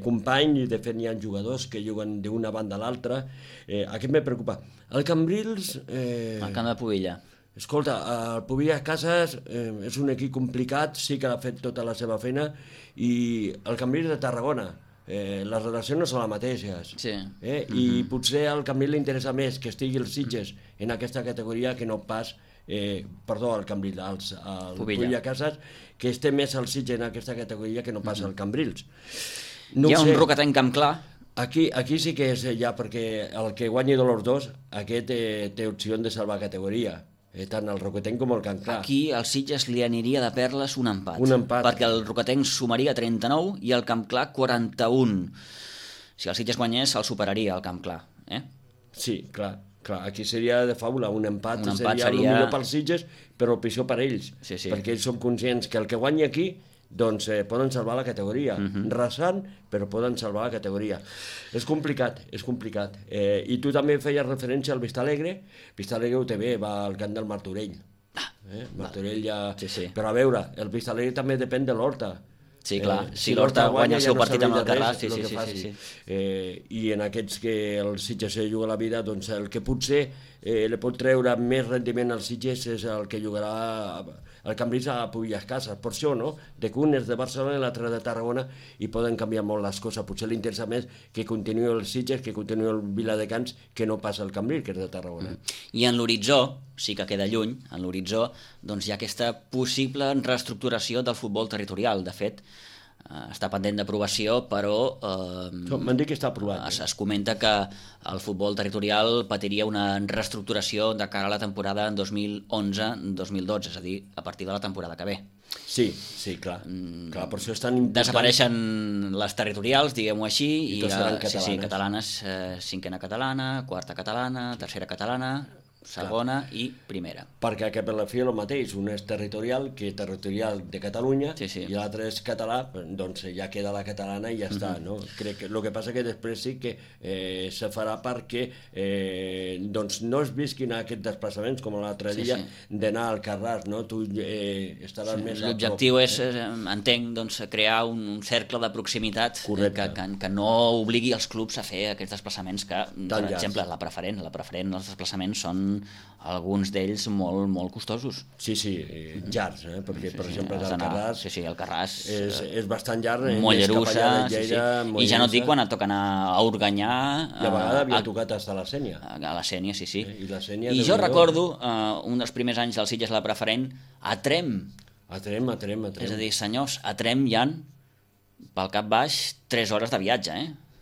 companys, i de fet hi ha jugadors que juguen d'una banda a l'altra. Aquest me preocupa. El Cambrils... El camp de Pubilla. Escolta, el Pubilla Casas és un equip complicat, sí que ha fet tota la seva feina, i el Cambrils de Tarragona, les relacions no són les mateixes. Sí. I potser al Cambrils li interessa més que estigui els Sitges en aquesta categoria que no pas... el Cambrils, el Pubilla Casas, que esté més al Sitges en aquesta categoria que no passa al Cambrils. No hi ha un roquetenc camp clar. Aquí sí que és ja, perquè el que guanyi de los dos, aquest té opció de salvar categoria, tant el roquetenc com el camp clar. Aquí al Sitges li aniria de perles un empat. Un empat. Perquè el roquetenc sumaria 39 i el camp clar 41. Si el Sitges guanyés, el superaria el camp clar. Sí, clar, aquí seria de faula, un empat seria el millor pels Sitges, però el pitjor per ells, perquè ells són conscients que el que guanyi aquí, doncs poden salvar la categoria, rasant, però poden salvar la categoria. És complicat. I tu també feies referència al Vistalegre. Vistalegre ho té bé, va al camp del Martorell. Martorell ja... Però a veure, el Vistalegre també depèn de l'Horta. Sí, clar, si l'Horta guanya el seu partit amb el Carràs, sí. I en aquests que el Sitges juga la vida, doncs el que potser li pot treure més rendiment als Sitges és el que jugarà el Cambrils a Pubilla Casas. Per això, no? De que un és de Barcelona i l'altre de Tarragona i poden canviar molt les coses. Potser li interessa més que continuï el Sitges, que continuï el Viladecans, que no passa el Cambrils, que és de Tarragona. I en l'horitzó, sí que queda lluny, en l'horitzó doncs hi ha aquesta possible reestructuració del futbol territorial. De fet, està pendent d'aprovació, però m'han dit que està aprovat. Es comenta que el futbol territorial patiria una reestructuració de cara a la temporada 2011-2012, és a dir, a partir de la temporada que ve. Sí, clar, per això és tan important. Desapareixen les territorials, diguem-ho així, i seran catalanes. Sí, catalanes, cinquena catalana, quarta catalana, tercera catalana, segona i primera. Perquè que per la fi és el mateix, un és territorial de Catalunya i l'altre és català, doncs ja queda la catalana i ja està, no? Crec que el que passa que després sí que se farà perquè doncs no es visquin aquests desplaçaments com l'altre dia d'anar al Carràs, no? Tu estaràs més... L'objectiu és, entenc, doncs, crear un cercle de proximitat que no obligui els clubs a fer aquests desplaçaments que, per exemple, la preferent, els desplaçaments són alguns d'ells molt costosos. Sí, llargs, perquè per exemple el Carràs... Sí, el Carràs és bastant llarg. Mollerussa, i ja no et dic quan et toca anar a Organyà... I a vegades havia tocat fins a la Sènia. A la Sènia, sí. I jo recordo un dels primers anys del Sitges la preferent a Trem. A Trem. És a dir, senyors, a Trem hi ha pel cap baix 3 hores de viatge,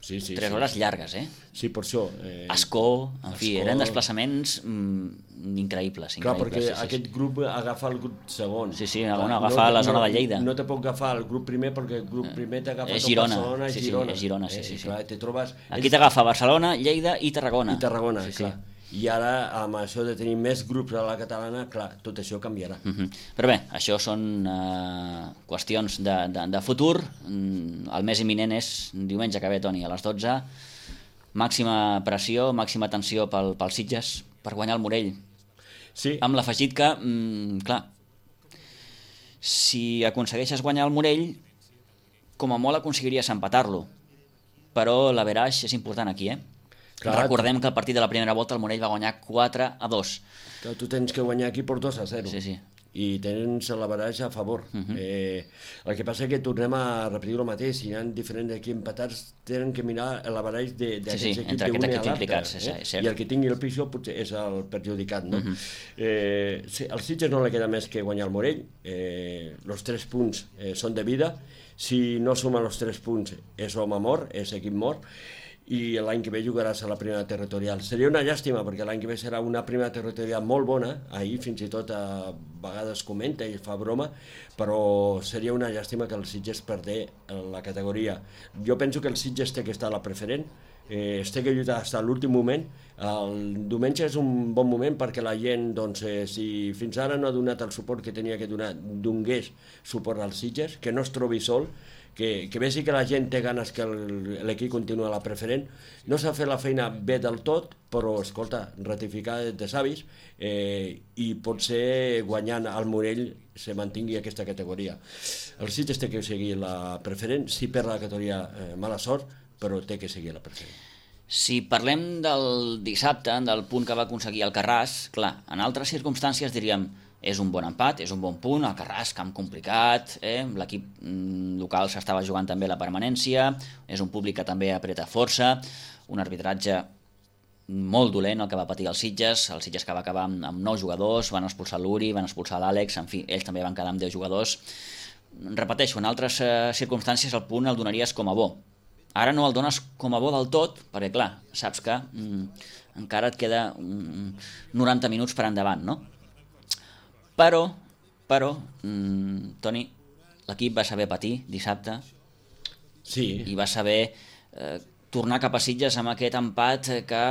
3 hores llargues, Sí, per això. Ascó, en fi, eren desplaçaments increïbles. Clar, perquè aquest grup agafa el grup segon. Sí, agafa la zona de Lleida. No te pot agafar el grup primer perquè el grup primer t'agafa tot Barcelona i Girona. És Girona, sí. Clar, te trobes... Aquí t'agafa Barcelona, Lleida i Tarragona. Clar. i ara amb això de tenir més grups a la catalana, clar, tot això canviarà. Però bé, això són qüestions de futur. El més imminent és diumenge que ve, Toni, a les 12. Màxima pressió, màxima tensió pel Sitges per guanyar el Morell. Sí. Amb l'afegit que, clar, si aconsegueixes guanyar el Morell, com a molt aconseguiries empatar-lo, però l'averaix és important aquí, Clar, recordem que el partit de la primera volta el Morell va guanyar 4-2. Que tu tens que guanyar aquí per 2-0. Sí. I tens l'averaix a favor. El que passa és que tornem a repetir el mateix. Si hi ha diferents equips empatats, tenen que mirar l'averaix d'aquests equips d'un i a l'altre. I el que tingui el pitjor potser és el perjudicat. No? Al Sitges no li queda més que guanyar el Morell. Els 3 punts són de vida. Si no suma els 3 punts és home mort, és equip mort, i l'any que ve jugaràs a la primera territorial. Seria una llàstima, perquè l'any que ve serà una primera territorial molt bona, ahir fins i tot a vegades comenta i fa broma, però seria una llàstima que el Sitges perdés la categoria. Jo penso que el Sitges té que estar a la preferent, es té que lluitar fins a l'últim moment. El diumenge és un bon moment perquè la gent, doncs, si fins ara no ha donat el suport que tenia que donar, donés suport al Sitges, que no es trobi sol, que vegi que la gent té ganes que l'equip continua a la preferent. No s'ha fet la feina bé del tot, però, escolta, ratificar de savis, i potser guanyant al Morell se mantingui aquesta categoria. El Sitges té que seguir la preferent, si perd la categoria, mala sort, però té que seguir la preferent. Si parlem del dissabte, del punt que va aconseguir el Carràs, clar, en altres circumstàncies diríem és un bon empat, és un bon punt, el Carràs, camp complicat, l'equip local s'estava jugant també la permanència, és un públic que també apreta força, un arbitratge molt dolent el que va patir el Sitges que va acabar amb 9 jugadors, van expulsar l'Uri, van expulsar l'Àlex, en fi, ells també van quedar amb 10 jugadors. Repeteixo, en altres circumstàncies el punt el donaries com a bo. Ara no el dones com a bo del tot, perquè clar, saps que encara et queda 90 minuts per endavant, no? Però, Toni, l'equip va saber patir dissabte i va saber tornar cap a Sitges amb aquest empat que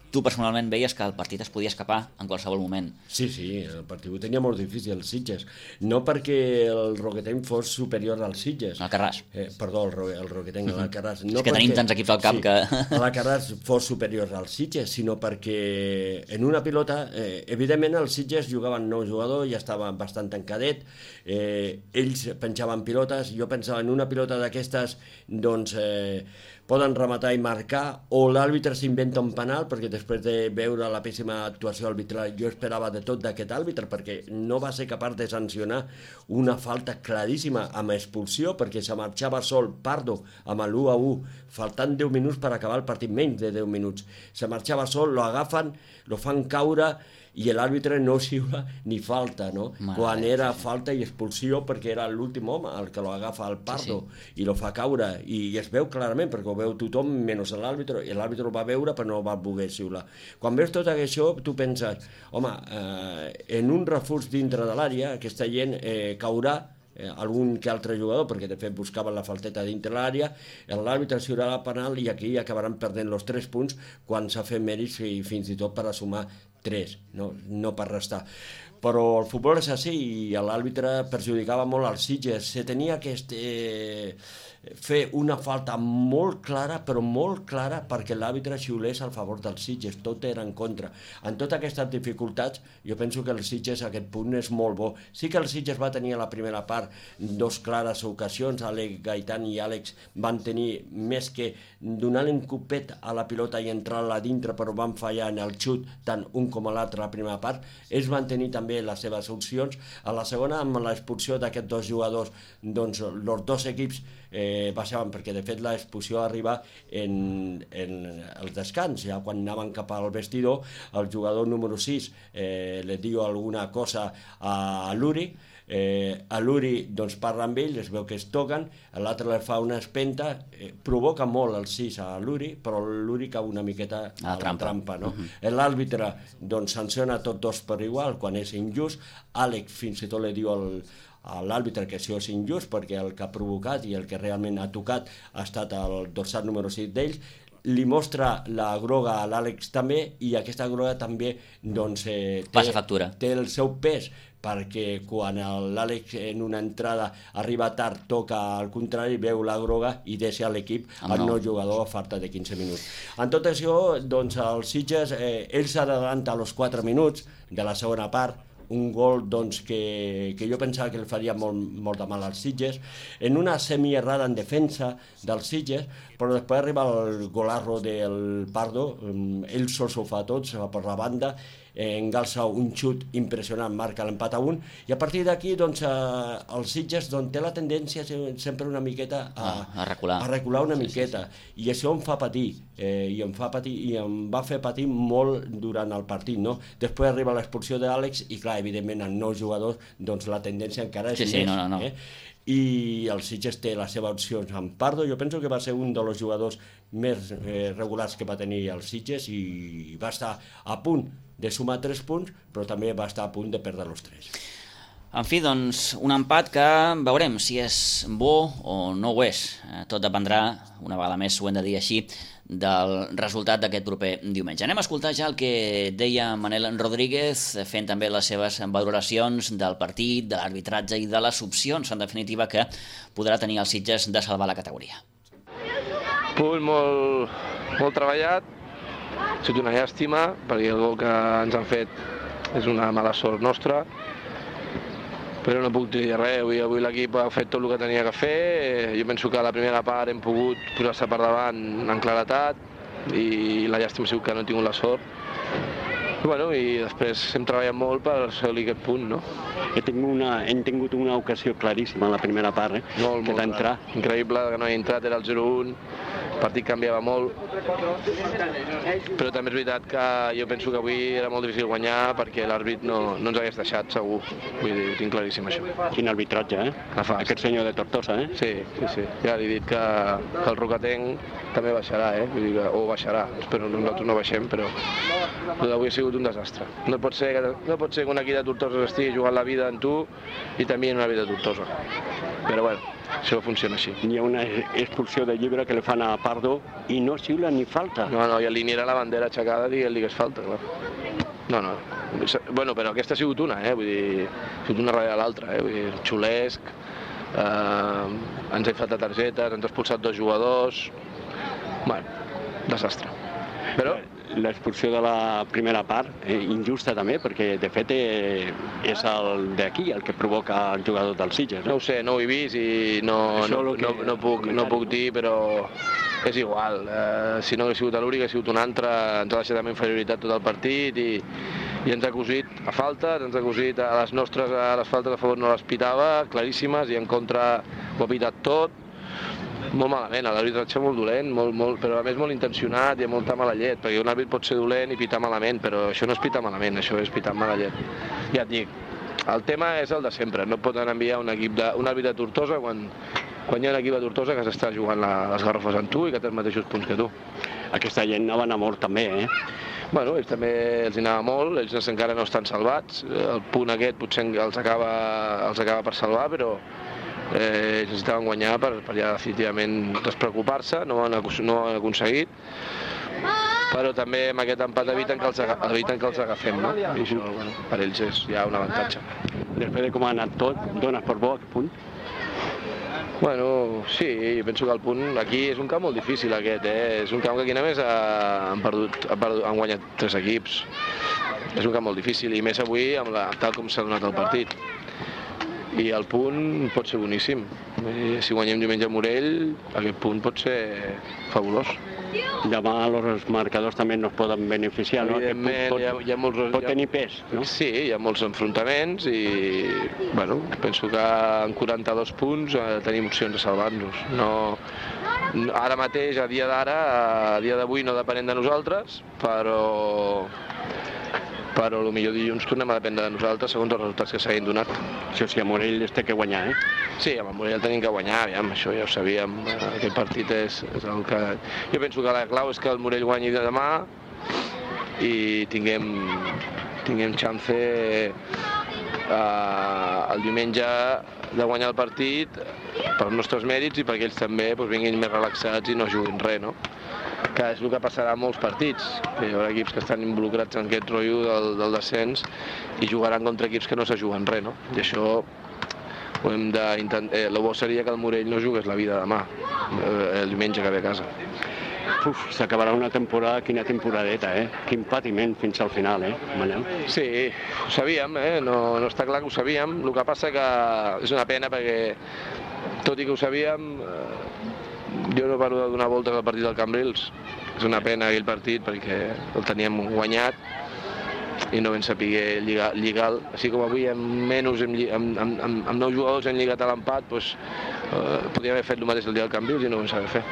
tu personalment veies que el partit es podia escapar en qualsevol moment. Sí, el partit ho tenia molt difícil el Sitges, no perquè el Roquetenc fos superior al Sitges. Al Carràs. Perdó, el Roquetenc, al Carràs. No és que tenim tants equips al camp que... el Carràs fos superior al Sitges, sinó perquè en una pilota, evidentment el Sitges jugaven 9 jugadors, ja estava bastant tancadet, ells penjaven pilotes, jo pensava en una pilota d'aquestes, doncs... poden rematar i marcar, o l'àrbitre s'inventa un penal, perquè després de veure la pèssima actuació arbitral jo esperava de tot d'aquest àrbitre, perquè no va ser capaç de sancionar una falta claríssima amb expulsió, perquè se marxava sol Pardo amb l'1-1, faltant 10 minuts per acabar el partit, menys de 10 minuts. Se marxava sol, lo agafen, lo fan caure, i l'àrbitre no xiula ni falta, no? Quan era falta i expulsió, perquè era l'últim home el que lo agafa al Pardo i lo fa caure, i es veu clarament, perquè ho veu tothom menys l'àrbitre, i l'àrbitre ho va veure però no va voler xiular. Quan veus tot això, tu penses, home, en un refús dintre de l'àrea, aquesta gent caurà algun que altre jugador, perquè de fet buscaven la falteta dintre l'àrea, l'àrbitre xiularà penal i aquí acabaran perdent els 3 punts quan s'ha fet mèrits i fins i tot per a sumar 3, no per restar. Però el futbol és així i l'àrbitre perjudicava molt al Sitges. Se tenia que fer una falta molt clara, però molt clara, perquè l'àrbitre xiulés al favor del Sitges, tot era en contra. En totes aquestes dificultats, jo penso que el Sitges a aquest punt és molt bo. Sí que el Sitges va tenir a la primera part 2 clares ocasions, Àlex Gaitán i Àlex van tenir més que donar-li un copet a la pilota i entrar-la dintre, però van fallar en el xut, tant un com l'altre a la primera part. Ells van tenir també les seves opcions. A la segona, amb l'expulsió d'aquests 2 jugadors, doncs els 2 equips baixaven, perquè de fet l'expulsió arriba en el descans, ja quan anaven cap al vestidor, el jugador número 6 li diu alguna cosa a l'Uri, a l'Uri doncs parla amb ell, es veu que es toquen, l'altre li fa una espenta, provoca molt el 6 a l'Uri, però l'Uri cau una miqueta a la trampa, no? L'àrbitre doncs sanciona tots 2 per igual quan és injust. Àlex fins i tot li diu a l'àrbitre que això és injust, perquè el que ha provocat i el que realment ha tocat ha estat el dorsal número 6 d'ells. li mostra la groga a l'Àlex també, i aquesta groga també doncs, passa factura. Té el seu pes, perquè quan l'Àlex en una entrada arriba tard, toca al contrari, veu la groga i deixa l'equip al nou jugador a falta de 15 minuts. En tot això, doncs, el Sitges, ell s'adavanta als 4 minuts de la segona part, un gol doncs, que jo pensava que el faria molt de mal als Sitges, en una semierrada en defensa dels Sitges, però després arriba el golarro del Pardo, ell sol s'ho fa tot, se va per la banda, engalça un xut impressionant, marca l'empat a 1, i a partir d'aquí doncs, el Sitges doncs, té la tendència sempre una miqueta a recular una miqueta, i això em fa patir, i em va fer patir molt durant el partit, no? Després arriba l'expulsió d'Àlex i clar, evidentment en nous jugadors doncs, la tendència encara és més. I el Sitges té les seves opcions amb Pardo. Jo penso que va ser un dels jugadors més regulars que va tenir el Sitges i va estar a punt de sumar 3 punts, però també va estar a punt de perdre els 3. En fi, doncs, un empat que veurem si és bo o no ho és. Tot dependrà, una vegada més ho hem de dir així, del resultat d'aquest proper diumenge. Anem a escoltar ja el que deia Manel Rodríguez, fent també les seves valoracions del partit, de l'arbitratge i de les opcions, en definitiva, que podrà tenir el Sitges de salvar la categoria. Punt molt treballat, ha sigut una llàstima, perquè el gol que ens han fet és una mala sort nostra, però no puc dir res. Avui l'equip ha fet tot el que tenia que fer. Jo penso que a la primera part hem pogut posar-se per davant en claretat i la llàstima ha sigut que no he tingut la sort. I després hem treballat molt per assolir aquest punt, no? Hem tingut una ocasió claríssima a la primera part, que d'entrar. Increïble que no he entrat, era el 0-1, el partit canviava molt, però també és veritat que jo penso que avui era molt difícil guanyar perquè l'àrbit no ens hagués deixat, segur. Vull dir, ho tinc claríssim, això. Quin arbitratge, Aquest senyor de Tortosa, Sí. Ja li he dit que el Rocatenc també baixarà, Vull dir que, o baixarà. Espero que nosaltres no baixem, però avui ha sigut un desastre. No pot ser que un equip de Tortosa estigui jugant la vida en tu i també en una vida de Tortosa. Però bueno, això funciona així. Hi ha una expulsió de llibre que li fan a Pardo i no xiula ni falta. No, i alinearà la bandera aixecada dient-li que és falta, clar. No. Bueno, però aquesta ha sigut una, Vull dir, ha sigut una darrere l'altra, Vull dir, xulesc, ens ha inflat de targetes, ens ha expulsat 2 jugadors. Bueno, desastre. Però l'expulsió de la primera part, injusta també, perquè de fet és el d'aquí el que provoca el jugador del Sitges. No ho sé, no ho he vist i no puc dir, però és igual. Si no hagués sigut l'Uri, hagués sigut un altre, ens ha deixat amb inferioritat tot el partit i ens ha cosit a faltes, ens ha cosit a les nostres, a les faltes a favor no les pitava, claríssimes, i en contra ho ha pitat tot. Molt malament, l'arbitratge molt dolent, però a més molt intencionat i amb molta mala llet, perquè un àrbit pot ser dolent i pitar malament, però això no és pitar malament, això és pitar mala llet. Ja et dic, el tema és el de sempre, no poden enviar un àrbit de Tortosa quan hi ha un equip de Tortosa que s'està jugant les garrofes amb tu i que té els mateixos punts que tu. Aquesta gent anava a anar molt també, Bueno, ells també els anava molt, ells encara no estan salvats, el punt aquest potser els acaba per salvar, però ells necessitaven guanyar per ja definitivament despreocupar-se, no ho han aconseguit, però també amb aquest empat eviten que els agafem, no? I això, per ells és ja un avantatge. Després de com ha anat tot, dones per bo aquest punt? Bueno, sí, penso que el punt aquí és un camp molt difícil aquest, És un camp que aquí només han guanyat 3 equips. És un camp molt difícil i més avui tal com s'ha donat el partit. I el punt pot ser boníssim. Si guanyem diumenge a Morell, aquest punt pot ser fabulós. Demà els marcadors també no es poden beneficiar, no? Evidentment, pot tenir pes, no? Sí, hi ha molts enfrontaments i penso que en 42 punts tenim opcions de salvar-nos. Ara mateix, a dia d'avui no depenem de nosaltres, però potser dilluns tornem a dependre de nosaltres segons els resultats que s'hagin donat. Això sí, a Morell es té que guanyar, Sí, a Morell tenim que guanyar, això ja ho sabíem, aquest partit és el que... Jo penso que la clau és que el Morell guanyi demà i tinguem chance el diumenge de guanyar el partit pels nostres mèrits i perquè ells també vinguin més relaxats i no juguin res, no? que és el que passarà a molts partits. Hi haurà equips que estan involucrats en aquest rotllo del descens i jugaran contra equips que no se juguen res, no? I això ho hem d'intentar. El bo seria que el Morell no jugués la vida demà, el diumenge que ve a casa. S'acabarà una temporada, quina temporadeta, Quin patiment fins al final, Manel? Sí, ho sabíem, no està clar que ho sabíem. El que passa que és una pena perquè, tot i que ho sabíem, jo no paro de donar voltes al partit del Cambrils. És una pena aquell partit perquè el teníem guanyat i no vam saber lligar. Així com avui amb 9 jugadors hem lligat a l'empat, podríem haver fet el mateix el dia del Cambrils i no ho vam saber fer.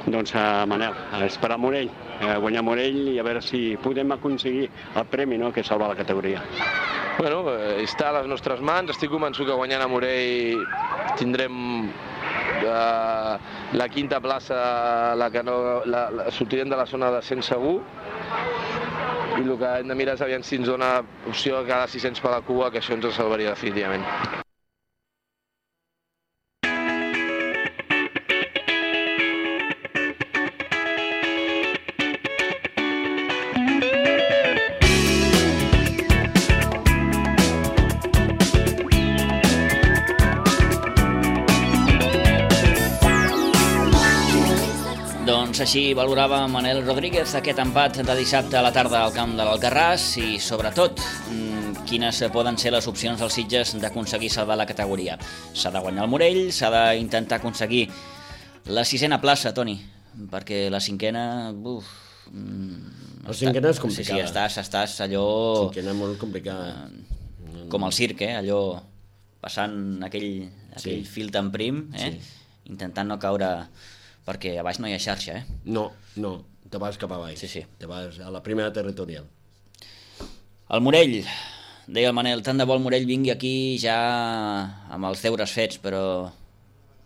Doncs, Manel, a esperar Morell, guanyar Morell i a veure si podem aconseguir el premi, no?, que salva la categoria. Bueno, està a les nostres mans. Estic convençut que guanyant a Morell tindrem la quinta plaça, sortirem de la zona de descens segur, i el que hem de mirar és aviam si ens dona opció a cada 600 per la cua, que això ens salvaria definitivament. Doncs així valorava Manel Rodríguez aquest empat de dissabte a la tarda al camp de l'Alcarràs i, sobretot, quines poden ser les opcions dels Sitges d'aconseguir salvar la categoria. S'ha de guanyar el Morell, s'ha d'intentar aconseguir la 6a plaça, Toni, perquè la 5a... La 5a és complicada. Sí, estàs allò... La 5a molt complicada. Com el circ, allò passant aquell fil tan prim, intentant no caure... perquè a baix no hi ha xarxa, No, te vas cap a baix. Sí. Te vas a la primera territorial. El Morell, deia el Manel, tant de bo el Morell vingui aquí ja amb els deures fets, però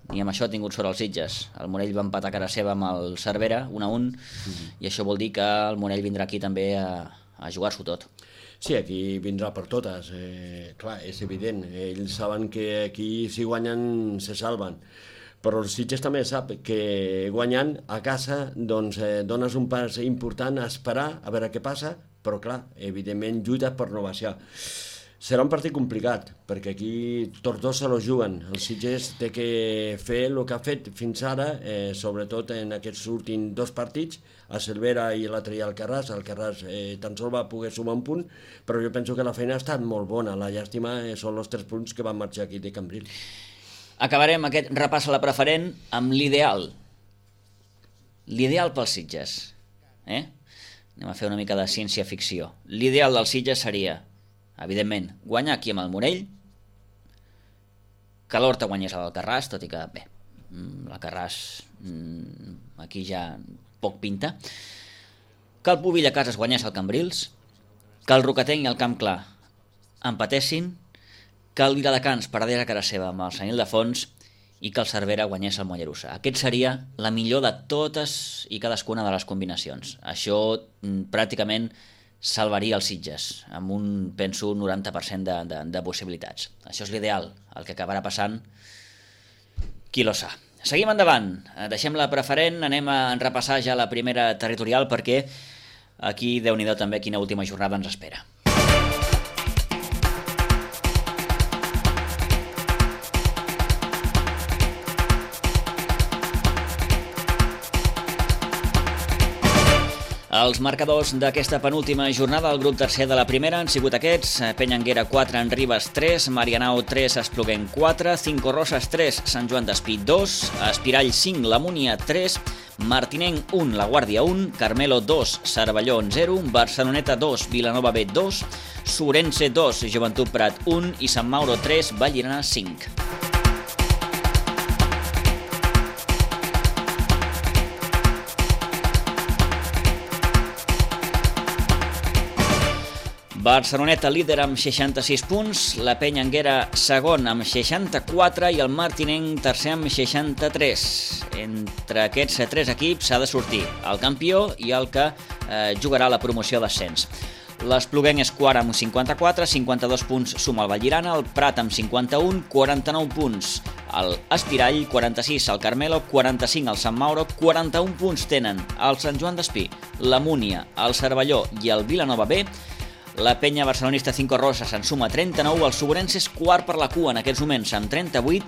ni amb això ha tingut sort els Sitges. El Morell va empatar a cara seva amb el Cervera, 1-1, i això vol dir que el Morell vindrà aquí també a jugar-s'ho tot. Sí, aquí vindrà per totes. Clar, és evident. Ells saben que aquí si guanyen se salven. Però el Sitges també sap que guanyant a casa doncs, dones un pas important a esperar a veure què passa, però clar, evidentment lluita per no baixar. Serà un partit complicat, perquè aquí tots dos se lo juguen. El Sitges té que fer el que ha fet fins ara, sobretot en aquests últims 2 partits, a Cervera i l'altre dia al Alcarràs. El Alcarràs tan sols va poder sumar un punt, però jo penso que la feina ha estat molt bona. La llàstima són els 3 punts que van marxar aquí de Cambrils. Acabarem aquest repàs a la preferent amb l'ideal. L'ideal pels Sitges. Anem a fer una mica de ciència-ficció. L'ideal dels Sitges seria, evidentment, guanyar aquí amb el Morell, que l'Horta guanyés a l'Alcarràs, tot i que, bé, l'Alcarràs aquí ja poc pinta, que el Pubill a casa es guanyés al Cambrils, que el Rocatenc i el Camp Clar empatessin, que el Viladecans perdés a cara seva amb el Sant Ildefons i que el Cervera guanyés el Mollerussa. Aquest seria la millor de totes i cadascuna de les combinacions. Això pràcticament salvaria els Sitges, amb un, penso, 90% de possibilitats. Això és l'ideal, el que acabarà passant, qui lo sa. Seguim endavant, deixem la preferent, anem a repassar ja la primera territorial perquè aquí, Déu-n'hi-do també, quina última jornada ens espera. Els marcadors d'aquesta penúltima jornada del grup tercer de la primera han sigut aquests: Penyanguera 4, en Ribes 3, Marianao 3, Espluguenc 4, Cinco Roses 3, Sant Joan d'Espí 2, Espirall 5, La Múnia 3, Martinenc 1, La Guàrdia 1, Carmelo 2, Cervelló 0, Barceloneta 2, Vilanova B 2, Sorense 2, Joventut Prat 1 i Sant Mauro 3, Vallirana 5. Barceloneta líder amb 66 punts, la Penyanguera segon amb 64 i el Martinenc tercer amb 63. Entre aquests 3 equips s'ha de sortir el campió i el que jugarà la promoció d'ascens. L'Espluguenc és quart amb 54, 52 punts suma el Vallirana, el Prat amb 51, 49 punts el Espirall, 46 el Carmelo, 45 el Sant Mauro, 41 punts tenen el Sant Joan d'Espí, la Múnia, el Cervelló i el Vilanova B. La penya barcelonista Cinco Roses se'n suma 39, el Sobrense és quart per la cua en aquests moments amb 38,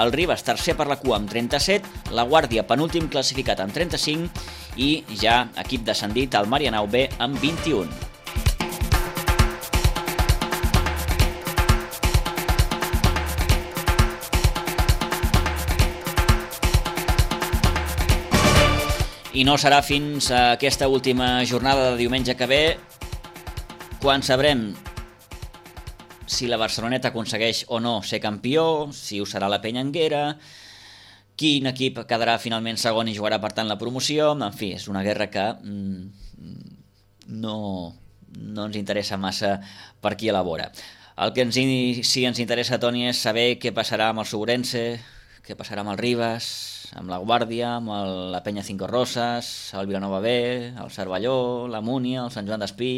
el Ribes tercer per la cua amb 37, la Guàrdia penúltim classificat amb 35 i ja equip descendit el Marianao B amb 21. I no serà fins a aquesta última jornada de diumenge que ve quan sabrem si la Barceloneta aconsegueix o no ser campió, si ho serà la Penya Anguera, quin equip quedarà finalment segon i jugarà per tant la promoció. En fi, és una guerra que no ens interessa massa per qui elabora. El que sí ens interessa, Toni, és saber què passarà amb el Sobrense, què passarà amb el Ribes, amb la Guàrdia, amb la Penya Cinco Roses, el Vilanova B, el Cervelló, la Múnia, el Sant Joan d'Espí...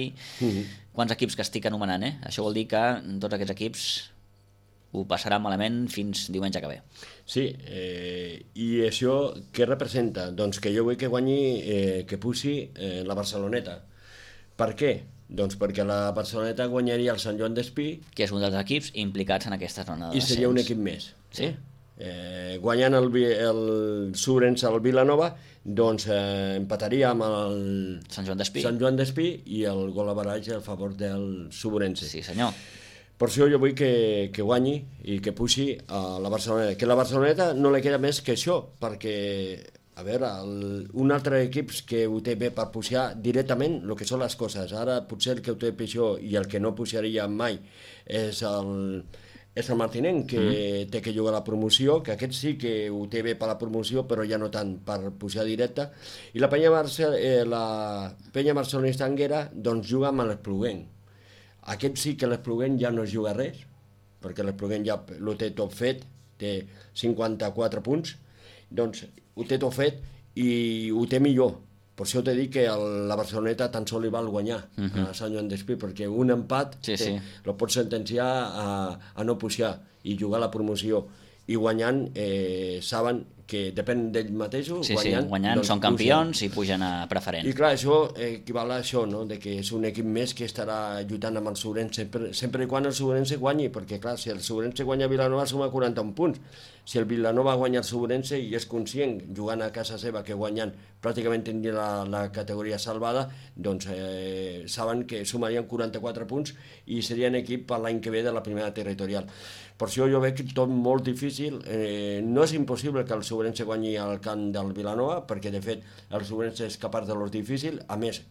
Quants equips que estic anomenant, eh? Això vol dir que tots aquests equips ho passaran malament fins diumenge que ve. Sí, i això què representa? Doncs que jo vull que guanyi, que pugi la Barceloneta. Per què? Doncs perquè la Barceloneta guanyaria el Sant Joan d'Espí... Que és un dels equips implicats en aquesta zona de descens. I seria un equip més. Sí. Guanyant el Sobrense al Vilanova, doncs empataria amb el Sant Joan d'Espí i el gol average a favor del Sobrense. Sí, senyor. Per això jo vull que guanyi i que pugi a la Barceloneta. Que la Barceloneta no li queda més que això, perquè, a veure, un altre equip que ho té bé per pujar directament, el que són les coses. Ara potser el que ho té pitjor i el que no pujaria mai és el Martinenc, que té que jugar a la promoció, que aquest sí que ho té bé per la promoció, però ja no tant per pujar directe. I la penya barcelonista Anguera doncs juga amb l'Espluguenc. Aquest sí que l'Espluguenc ja no juga res, perquè l'Espluguenc ja ho té tot fet, té 54 punts, doncs ho té tot fet i ho té millor. Per això t'he dit que la Barceloneta tan sol li val guanyar a Sant Joan d'Espí, perquè un empat el pot sentenciar a no pujar i jugar a la promoció. I guanyant saben que depèn d'ells mateixos. Guanyant són campions i pugen a preferent. I clar, això equival a això, no? De que és un equip més que estarà lluitant amb el Sobrense, sempre i quan el Sobrense guanyi, perquè clar, si el Sobrense guanya Vilanova suma 41 punts. Si el Vilanova guanya el Sobrense i és conscient, jugant a casa seva, que guanyant pràcticament tindria la categoria salvada, doncs saben que sumarien 44 punts i serien equip per l'any que ve de la primera territorial. Per això jo veig tot molt difícil. No és impossible que el Sobrense guanyi al camp del Vilanova, perquè de fet el Sobrense és capaç de lo difícil. A més,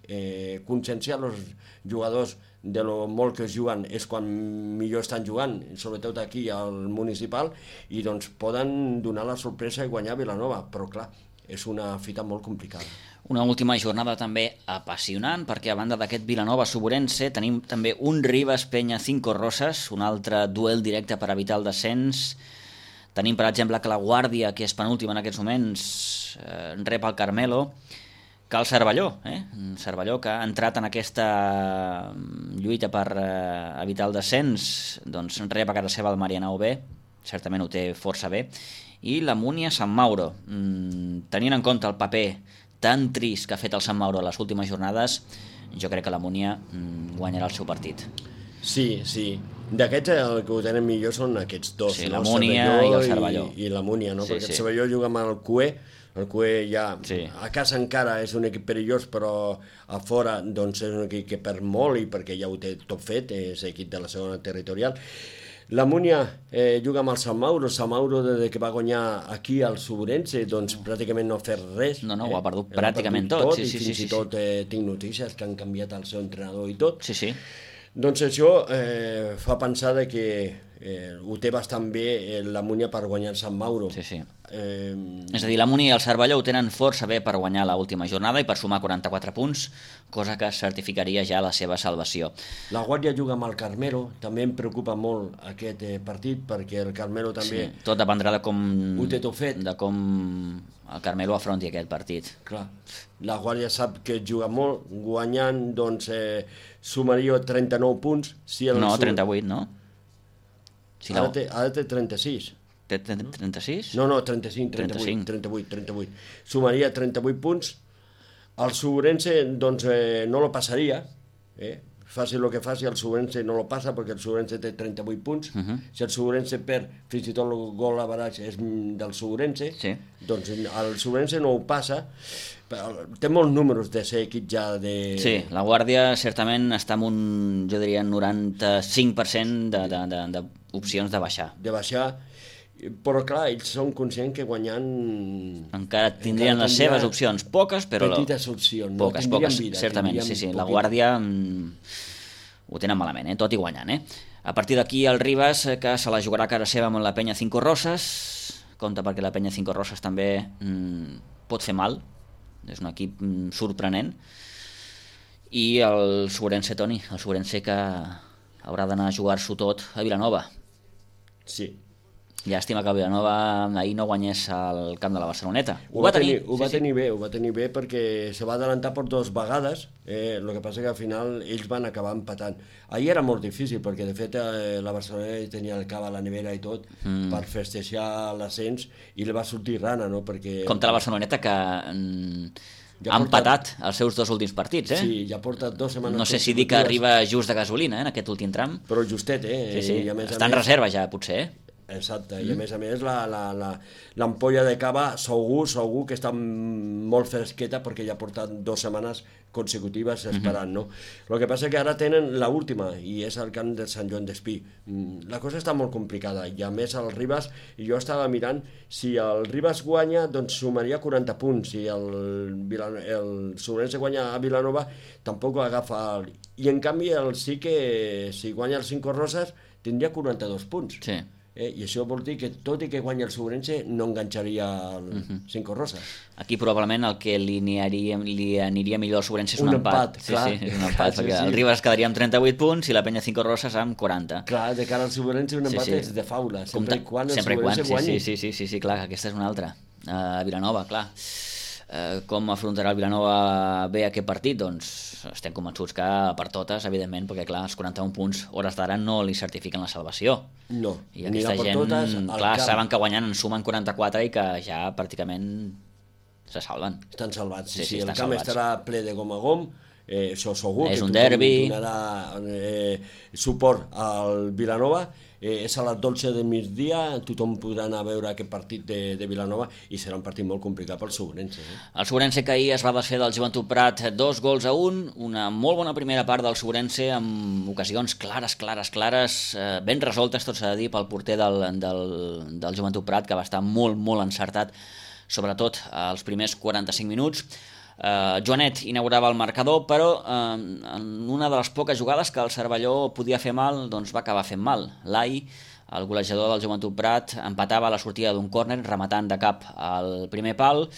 conscienciar els jugadors de lo molt que es juguen és quan millor estan jugant, sobretot aquí al municipal, i doncs poden donar la sorpresa i guanyar Vilanova, però clar, és una fita molt complicada. Una última jornada també apassionant, perquè a banda d'aquest Vilanova-Sobrense tenim també un Ribes Penya Cinco Roses, un altre duel directe per evitar el descens. Tenim, per exemple, que la Guàrdia, que és penúltima en aquests moments, rep el Carmelo, que el Cervelló, Cervelló que ha entrat en aquesta lluita per evitar el descens, doncs rep a casa seva el Marianao B, certament ho té força bé, i la Múnia Sant Mauro. Tenint en compte el paper tan trist que ha fet el Sant Mauro a les últimes jornades, jo crec que la Múnia guanyarà el seu partit. Sí. D'aquests el que ho tenen millor són aquests dos, sí, no? La Múnia i el Cervelló. I la Múnia, no? Perquè el Cervelló juga amb el CUE, el CUE ja a casa encara és un equip perillós, però a fora doncs és un equip que perd molt i perquè ja ho té tot fet, és equip de la segona territorial. La Múnia juga amb el Sant Mauro des que va guanyar aquí al Sobrense, doncs pràcticament no ha fet res. No, ho ha perdut pràcticament tot. I fins i tot tinc notícies que han canviat el seu entrenador i tot. Sí. Doncs això fa pensar que ho té bastant bé la Múnia per guanyar el Sant Mauro. Sí. És a dir, la Múnia i el Cervelló ho tenen força bé per guanyar l'última jornada i per sumar 44 punts, cosa que certificaria ja la seva salvació. La Guàrdia juga amb el Carmelo, també em preocupa molt aquest partit, perquè el Carmelo també... Sí, tot dependrà de com... Ho té tot fet. De com el Carmelo afronti aquest partit. Clar, la Guàrdia sap que juga molt, guanyant, doncs, sumaria 39 punts. Si no, 38, no? Si ara té 36. Té 36? No, 38. Sumaria 38 punts. El Suburense, doncs, no lo passaria, faci el que faci, el Suburense no lo passa perquè el Suburense té 38 punts. Si el Suburense perd, fins i tot el gol a baraix és del Suburense, doncs el Suburense no ho passa. Té molts números de ser equip ja de... Sí, la Guàrdia certament està amb un, jo diria, 95% d'opcions de baixar. De baixar, però clar, ells són conscients que guanyant... Encara tindrien les seves opcions, poques, però... Petites opcions, poques, vida, certament, sí, la Guàrdia ho tenen malament, tot i guanyant, A partir d'aquí el Ribas, que se la jugarà a cara seva amb la Penya Cinco Roses, compte perquè la Penya Cinco Roses també pot fer mal, és un equip sorprenent, i el Suburense, Toni, el Suburense que haurà d'anar a jugar-s'ho tot a Vilanova. Sí. Llàstima que el Vilanova ahir no guanyés al camp de la Barceloneta. Ho va tenir bé perquè se va adelantar per 2 vegades, el que passa que al final ells van acabar empatant. Ahir era molt difícil perquè de fet la Barceloneta tenia el cava a la nevera i tot per festejar l'ascens i li va sortir rana, no? Perquè... Compte la Barceloneta que ha empatat els seus 2 últims partits, Sí, ja porta 2 setmanes... No sé si dir que arriba just de gasolina, en aquest últim tram. Però justet, Sí. I a més, està en reserva ja, potser, Exacte, i a més l'ampolla de cava segur que està molt fresqueta perquè ja porta 2 setmanes consecutives esperant, no? El que passa que ara tenen l'última i és el camp de Sant Joan d'Espí. La cosa està molt complicada i a més el Ribas, i jo estava mirant, si el Ribas guanya doncs sumaria 40 punts, si el Suburense guanya a Vilanova tampoc agafa i en canvi sí que si guanya el Cinco Roses tindria 42 punts. Sí. I això vol dir que tot i que guanya el Suburense no enganxaria el Cinco Roses. Aquí probablement el que li aniria millor al Suburense és un empat. Clar. Sí, és un empat, perquè el Ribas quedaria amb 38 punts i la Penya Cinco Roses amb 40. Clar, de cara al Suburense un empat és de faula, sempre i quan el Suburense guanyi. Sí, clar, aquesta és una altra. A Vilanova, clar. Com afrontarà el Vilanova bé aquest partit? Doncs estem convençuts que per totes, evidentment, perquè clar, els 41 punts hores d'ara no li certifiquen la salvació. No, i aquesta gent, totes, clar, saben que guanyant en sumen 44 i que ja pràcticament se salven. Estan salvats, sí, el camp estarà ple de gom a gom, això segur és que un derbi, donarà suport al Vilanova, és a les 12 del migdia, tothom podrà anar a veure aquest partit de Vilanova i serà un partit molt complicat pel Suburense. El Suburense que ahir es va desfer del Joventut Prat 2-1, una molt bona primera part del Suburense amb ocasions clares, ben resoltes, tot s'ha de dir, pel porter del Joventut Prat, que va estar molt encertat, sobretot als primers 45 minuts. Joanet inaugurava el marcador, però en una de les poques jugades que el Cervelló podia fer mal, doncs va acabar fent mal. L'Ai, el golejador del Joventut Prat, empatava a la sortida d'un córner rematant de cap al primer pal.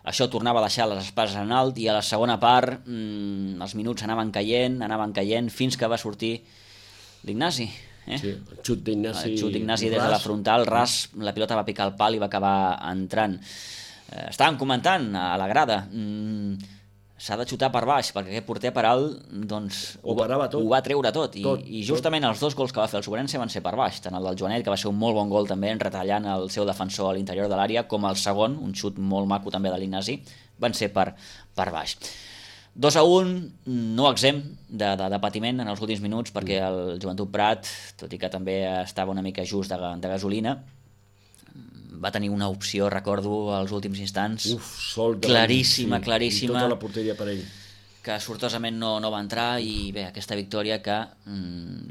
Això tornava a deixar les espases en alt i a la segona part els minuts anaven caient fins que va sortir l'Ignasi. Sí, el xut d'Ignasi des de la frontal, ras, la pilota va picar el pal i va acabar entrant. Estàvem comentant a la grada, s'ha de xutar per baix, perquè aquest porter per alt doncs, ho va treure tot. I justament els 2 gols que va fer el Suburense van ser per baix, tant el del Joanet, que va ser un molt bon gol també, retallant el seu defensor a l'interior de l'àrea, com el segon, un xut molt maco també de l'Ignasi, van ser per baix. 2-1, no exempt de patiment en els últims minuts, perquè el Joventut Prat, tot i que també estava una mica just de gasolina, va tenir una opció, recordo, als últims instants, claríssima, i tota la porteria per ell, que sortosament no va entrar, i bé, aquesta victòria que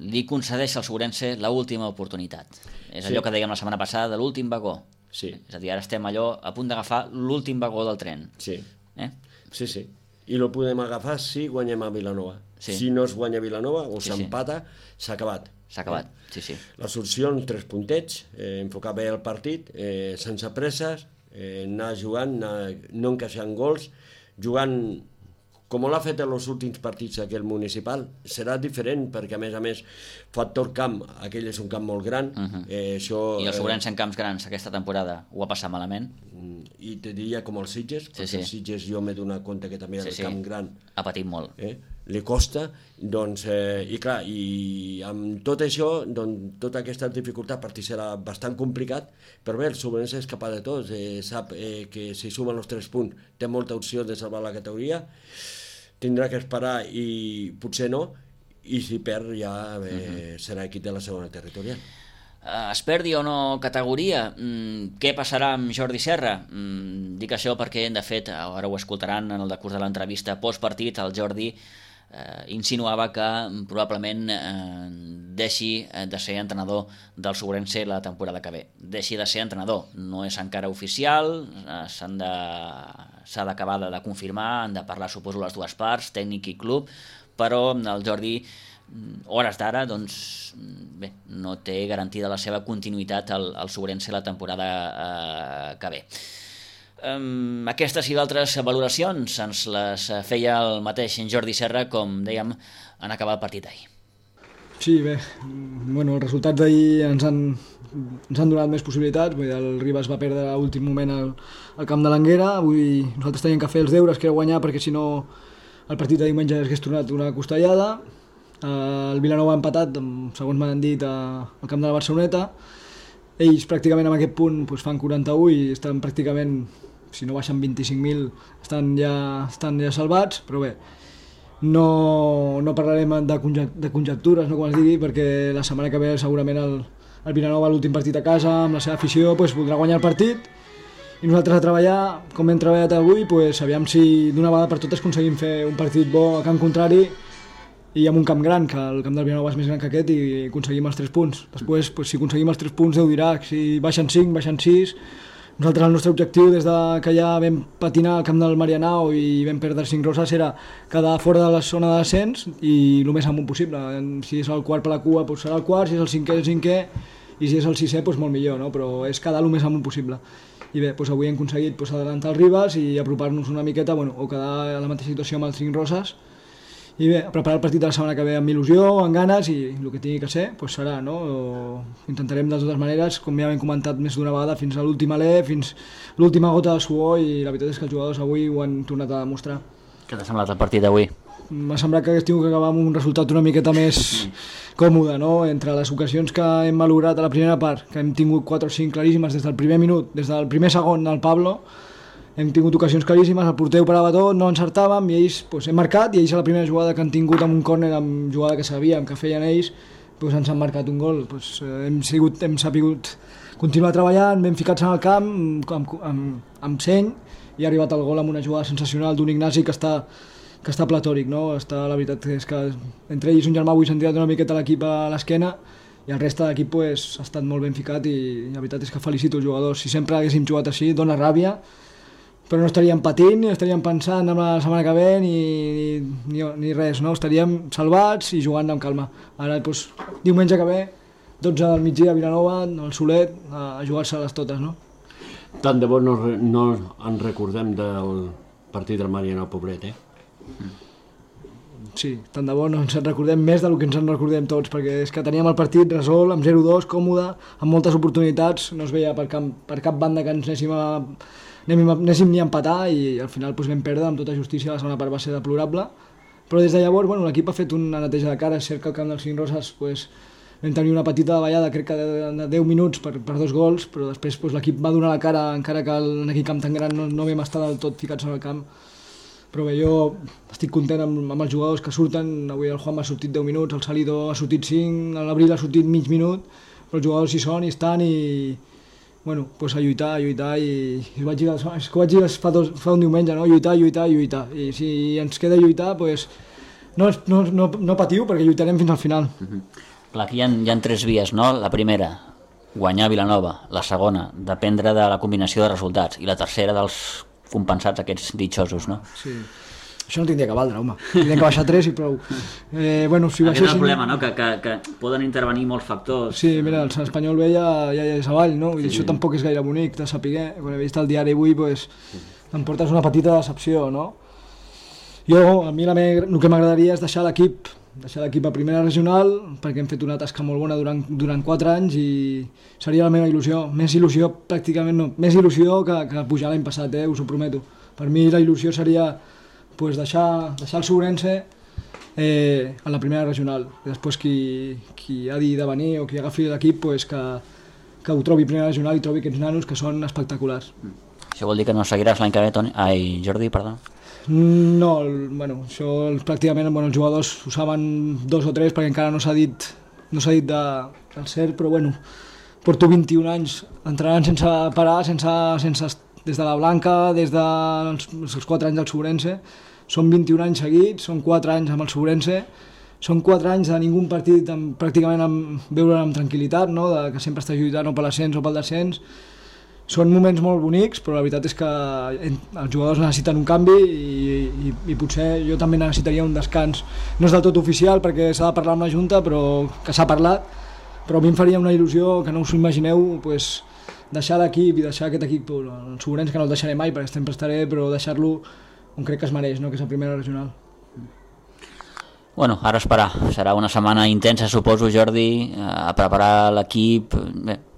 li concedeix al Suburense l'última oportunitat. És allò que dèiem la setmana passada de l'últim vagó. Sí. És a dir, ara estem allò a punt d'agafar l'últim vagó del tren. Sí. Sí. I el podem agafar si guanyem a Vilanova. Si no es guanya a Vilanova o s'empata, s'ha acabat. S'ha acabat, sí. Les opcions, 3 puntets, enfocar bé el partit, sense presses, anar jugant, no encaixant gols, jugant com l'ha fet en els últims partits aquell municipal, serà diferent, perquè a més, factor camp, aquell és un camp molt gran. I el Sobrense en camps grans aquesta temporada ho ha passat malament. I te diria com els Sitges, perquè els Sitges jo m'he donat compte que també el camp gran ha patit molt. Li costa, doncs, i clar, i amb tot això, doncs, tota aquesta dificultat, per ti serà bastant complicat, però bé, el Sobrense és capaç de tot, sap que si sumen els 3 punts té molta opció de salvar la categoria, tindrà que esperar i potser no, i si perd ja serà equip de la segona territorial. Es perdi o no categoria, què passarà amb Jordi Serra? Dic això perquè, de fet, ara ho escoltaran en el decurs de l'entrevista postpartit, el Jordi insinuava que probablement deixi de ser entrenador del Sobrense la temporada que ve. Deixi de ser entrenador, no és encara oficial, s'ha d'acabar de confirmar, han de parlar, suposo, les dues parts, tècnic i club, però el Jordi, hores d'ara, doncs, bé, no té garantida la seva continuïtat al Sobrense la temporada que ve. Aquestes i d'altres valoracions ens les feia el mateix Jordi Serra, com dèiem, en acabar el partit ahir. Sí, bé, bueno, els resultats d'ahir ens han donat més possibilitats. Vull dir, el Ribas va perdre a l'últim moment al camp de l'Anguera. Avui nosaltres teníem que fer els deures, que era guanyar, perquè si no el partit de diumenge hagués tornat una costellada. El Vilanova ha empatat, segons m'han dit, al camp de la Barceloneta. Ells pràcticament en aquest punt fan 41 i estan pràcticament, si no baixen 25.000, estan ja salvats, però bé, no parlarem de conjectures, no, com es digui, perquè la setmana que ve segurament el Vilanova, l'últim partit a casa, amb la seva afició, voldrà guanyar el partit, i nosaltres a treballar, com hem treballat avui, aviam si d'una vegada per totes aconseguim fer un partit bo a camp contrari i amb un camp gran, que el camp del Vilanova és més gran que aquest, i aconseguim els 3 punts. Després, si aconseguim els 3 punts, Déu dirà, si baixen 5, baixen 6. Nosaltres el nostre objectiu, des que ja vam patinar al camp del Marianao i vam perdre 5 roses, era quedar fora de la zona de descens i el més amunt possible. Si és el quart per la cua, serà el quart, si és el cinquè, el cinquè, i si és el sisè, molt millor, no? Però és quedar el més amunt possible. I bé, avui hem aconseguit adelantar els Ribas i apropar-nos una miqueta, o quedar a la mateixa situació amb els 5 roses. I bé, preparar el partit de la setmana que ve amb il·lusió, amb ganes, i el que tingui que ser, serà, no? Intentarem de totes maneres, com ja hem comentat més d'una vegada, fins a l'últim alè, fins l'última gota de suor, i la veritat és que els jugadors avui ho han tornat a demostrar. Què t'ha semblat el partit d'avui? M'ha semblat que hagués tingut que acabar amb un resultat una miqueta més còmode, no? Entre les ocasions que hem malograt a la primera part, que hem tingut 4 o 5 claríssimes des del primer minut, des del primer segon del Pablo, hem tingut ocasions claríssimes, el porter ho parava tot, no encertàvem, i ells hem marcat, i ells a la primera jugada que han tingut amb un córner, amb jugada que sabíem que feien ells, ens han marcat un gol. Hem sabut continuar treballant, ben ficats en el camp, amb seny, i ha arribat el gol amb una jugada sensacional d'un Ignasi que està platòric, no? La veritat és que entre ells un germà avui s'han tirat una miqueta l'equip a l'esquena, i el reste de l'equip ha estat molt ben ficat, i la veritat és que felicito els jugadors. Si sempre haguéssim jugat així, dona ràbia, però no estaríem patint, ni estaríem pensant en la setmana que ve, ni res, no? Estaríem salvats i jugant amb calma. Ara, diumenge que ve, 12 del migdia a Vilanova, al Solet, a jugar-se-les totes, no? Tant de bo no ens recordem del partit del Marianao Poblet, Sí, tant de bo no ens en recordem més del que ens en recordem tots, perquè és que teníem el partit resolt, amb 0-2, còmode, amb moltes oportunitats, no es veia per cap banda que ens anéssim ni a empatar, i al final vam perdre amb tota justícia. La segona part va ser deplorable, però des de llavors l'equip ha fet una neteja de cara. És cert que al camp dels 5 roses vam tenir una petita davallada, crec que de 10 minuts per 2 gols, però després l'equip va donar la cara, encara que en aquell camp tan gran no vam estar del tot ficats en el camp. Però bé, jo estic content amb els jugadors que surten. Avui el Juan ha sortit 10 minuts, el Salido ha sortit 5, l'Abril ha sortit mig minut, però els jugadors hi són, hi estan, i a lluitar, i ho vaig dir fa un diumenge, no? Lluitar, i si ens queda lluitar, no patiu, perquè lluitarem fins al final. Clar, aquí hi ha 3 vies, no? La primera, guanyar Vilanova; la segona, dependre de la combinació de resultats; i la tercera, dels compensats aquests ditxosos, no? Sí. Això no tindria que valdre, home. Tindria que baixar 3 i prou. Si aquest és el problema, no? Que poden intervenir molts factors. Sí, mira, l'Espanyol B ja és avall, no? I això tampoc és gaire bonic de saber. Quan he vist el diari avui, t'emportes una petita decepció, no? A mi el que m'agradaria és deixar l'equip a primera regional, perquè hem fet una tasca molt bona durant 4 anys i seria la meva il·lusió. Més il·lusió pràcticament no, més il·lusió que pujar l'any passat, us ho prometo. Per mi la il·lusió seria deixar el Segurense a la primera regional. Després qui ha de venir o qui agafi l'equip que ho trobi primera regional i trobi aquests nanos que són espectaculars. Això vol dir que no seguiràs l'any que ve, Jordi, perdó? No, això pràcticament els jugadors ho saben 2 o 3 perquè encara no s'ha dit del cert, però porto 21 anys entrenant sense parar, des de la Blanca, des dels 4 anys del Segurense. Són 21 anys seguits, són 4 anys amb el Segurense, són 4 anys de ningú partit pràcticament veure'l amb tranquil·litat, no? Que sempre està lluitant o per l'ascens o pel descens. Són moments molt bonics, però la veritat és que els jugadors necessiten un canvi i potser jo també necessitaria un descans. No és del tot oficial perquè s'ha de parlar amb la Junta, però que s'ha parlat, però a mi em faria una il·lusió que no us ho imagineu, deixar l'equip i deixar aquest equip, el Segurense, que no el deixaré mai perquè sempre estaré, però deixar-lo on crec que es mereix, no? Que és la primera regional. Ara esperar. Serà una setmana intensa, suposo, Jordi, a preparar l'equip,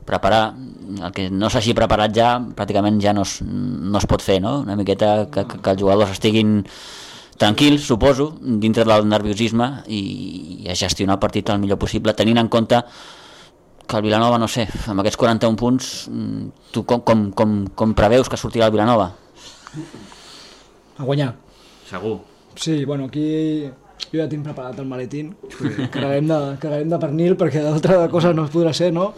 preparar el que no s'hagi preparat ja, pràcticament ja no es pot fer, no? Una miqueta que els jugadors estiguin tranquils, suposo, dintre del nerviosisme i a gestionar el partit el millor possible, tenint en compte que el Vilanova, no sé, amb aquests 41 punts, tu com preveus que sortirà el Vilanova? A guanyar. Segur. Sí, aquí jo ja tinc preparat el maletín, carreguem de pernil perquè d'altra cosa no es podrà ser, no?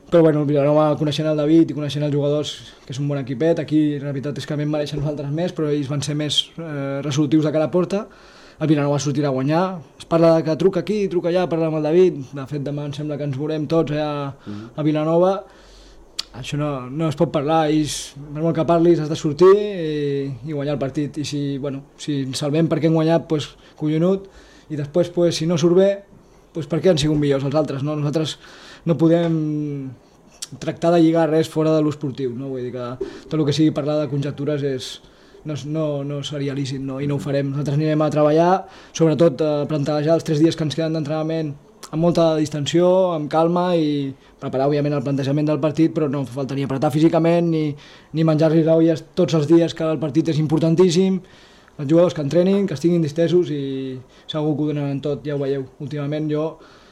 Però el Vilanova, coneixent el David i coneixent els jugadors, que és un bon equipet, aquí la veritat és que vam mereixen nosaltres més, però ells van ser més resolutius de cara a porta. El Vilanova sortirà a guanyar, es parla que truca aquí, truca allà, parla amb el David, de fet demà em sembla que ens veurem tots allà a Vilanova. Això no es pot parlar, per molt que parlis has de sortir i guanyar el partit, i si ens salvem perquè hem guanyat, collonut, i després si no surt bé, per què han sigut millors els altres, no? Nosaltres no podem tractar de lligar res fora de l'esportiu, no? Vull dir que tot el que sigui parlar de conjectures no seria lícit, no? I no ho farem. Nosaltres anirem a treballar, sobretot a plantejar els 3 dies que ens queden d'entrenament amb molta distensió, amb calma i preparar, òbviament, el plantejament del partit, però no faltaria apretar físicament ni menjar-li l'olles tots els dies, que el partit és importantíssim. Els jugadors que entrenin, que estiguin distesos i segur que ho donaran tot, ja ho veieu. Últimament jo,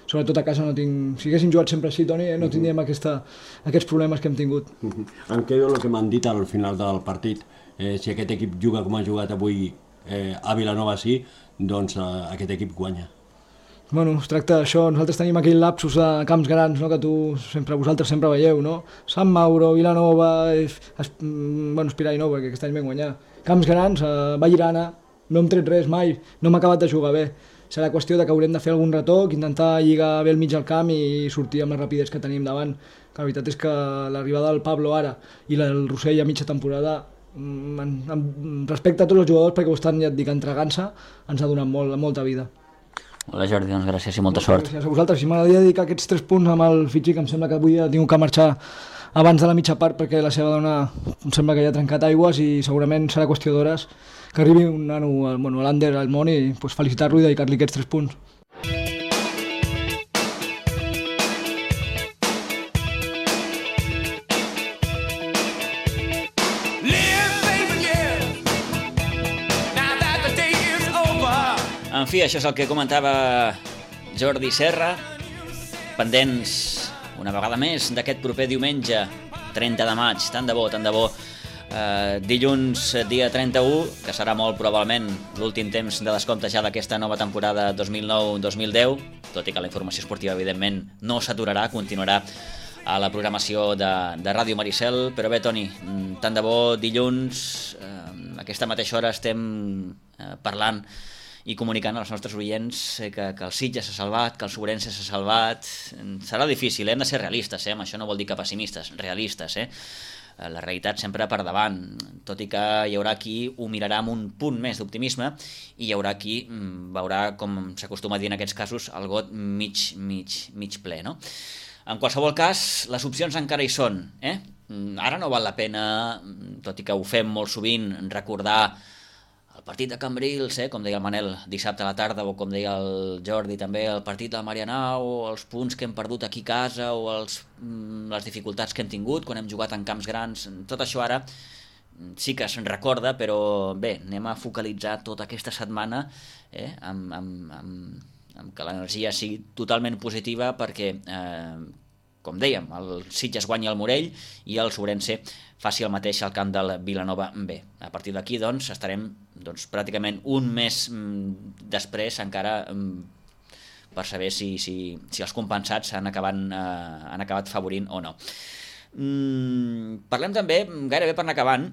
sobretot a casa, no tinc... Si haguéssim jugat sempre així, Toni, no tindríem aquests problemes que hem tingut. Em quedo el que m'han dit al final del partit. Si aquest equip juga com ha jugat avui a Vilanova, sí, doncs aquest equip guanya. Es tracta d'això. Nosaltres tenim aquell lapsus de camps grans, no? Que vosaltres sempre veieu, no? Sant Mauro, Vilanova, Espirai no, perquè aquest any vam guanyar. Camps grans, Vallirana, no hem tret res mai, no hem acabat de jugar bé. Serà qüestió de que haurem de fer algun retoc, intentar lligar bé el mig al camp i sortir amb la rapidesa que tenim davant. Que la veritat és que l'arribada del Pablo ara i el Rossell a mitja temporada, respecte a tots els jugadors, perquè ho estan, ja et dic, entregant-se, ens ha donat molta vida. Hola Jordi, doncs gràcies i molta sort. Gràcies a vosaltres. Si m'agradaria dedicar aquests 3 punts amb el Fitxi, que em sembla que avui ha tingut que marxar abans de la mitja part perquè la seva dona em sembla que ja ha trencat aigües i segurament serà qüestió d'hores que arribi un nano, l'Ander, al món i felicitar-lo i dedicar-li aquests 3 punts. En fi, això és el que comentava Jordi Serra, pendents una vegada més d'aquest proper diumenge 30 de maig, tant de bo, dilluns dia 31, que serà molt probablement l'últim temps de descompte ja d'aquesta nova temporada 2009-2010, tot i que la informació esportiva evidentment no s'aturarà, continuarà a la programació de Ràdio Maricel. Però bé, Toni, tant de bo dilluns a aquesta mateixa hora estem parlant i comunicant als nostres oients que el Sitges s'ha salvat, que el Segurense s'ha salvat. Serà difícil, hem de ser realistes, amb això no vol dir que pessimistes, realistes, la realitat sempre per davant, tot i que hi haurà qui ho mirarà amb un punt més d'optimisme i hi haurà qui veurà, com s'acostuma a dir en aquests casos, el got mig ple, no? En qualsevol cas, les opcions encara hi són, Ara no val la pena, tot i que ho fem molt sovint, recordar el el partit de Cambrils, com deia el Manel, dissabte a la tarda, o com deia el Jordi també, el partit de Marianao, els punts que hem perdut aquí a casa, o les dificultats que hem tingut quan hem jugat en camps grans, tot això ara sí que se'n recorda, però bé, anem a focalitzar tota aquesta setmana amb que l'energia sigui totalment positiva perquè, com dèiem, el Sitges guanya el Morell i el Sobrense faci el mateix al camp del Vilanova B. A partir d'aquí, doncs, estarem pràcticament un mes després encara per saber si els compensats han acabat favorint o no. Parlem també, gairebé per anar acabant,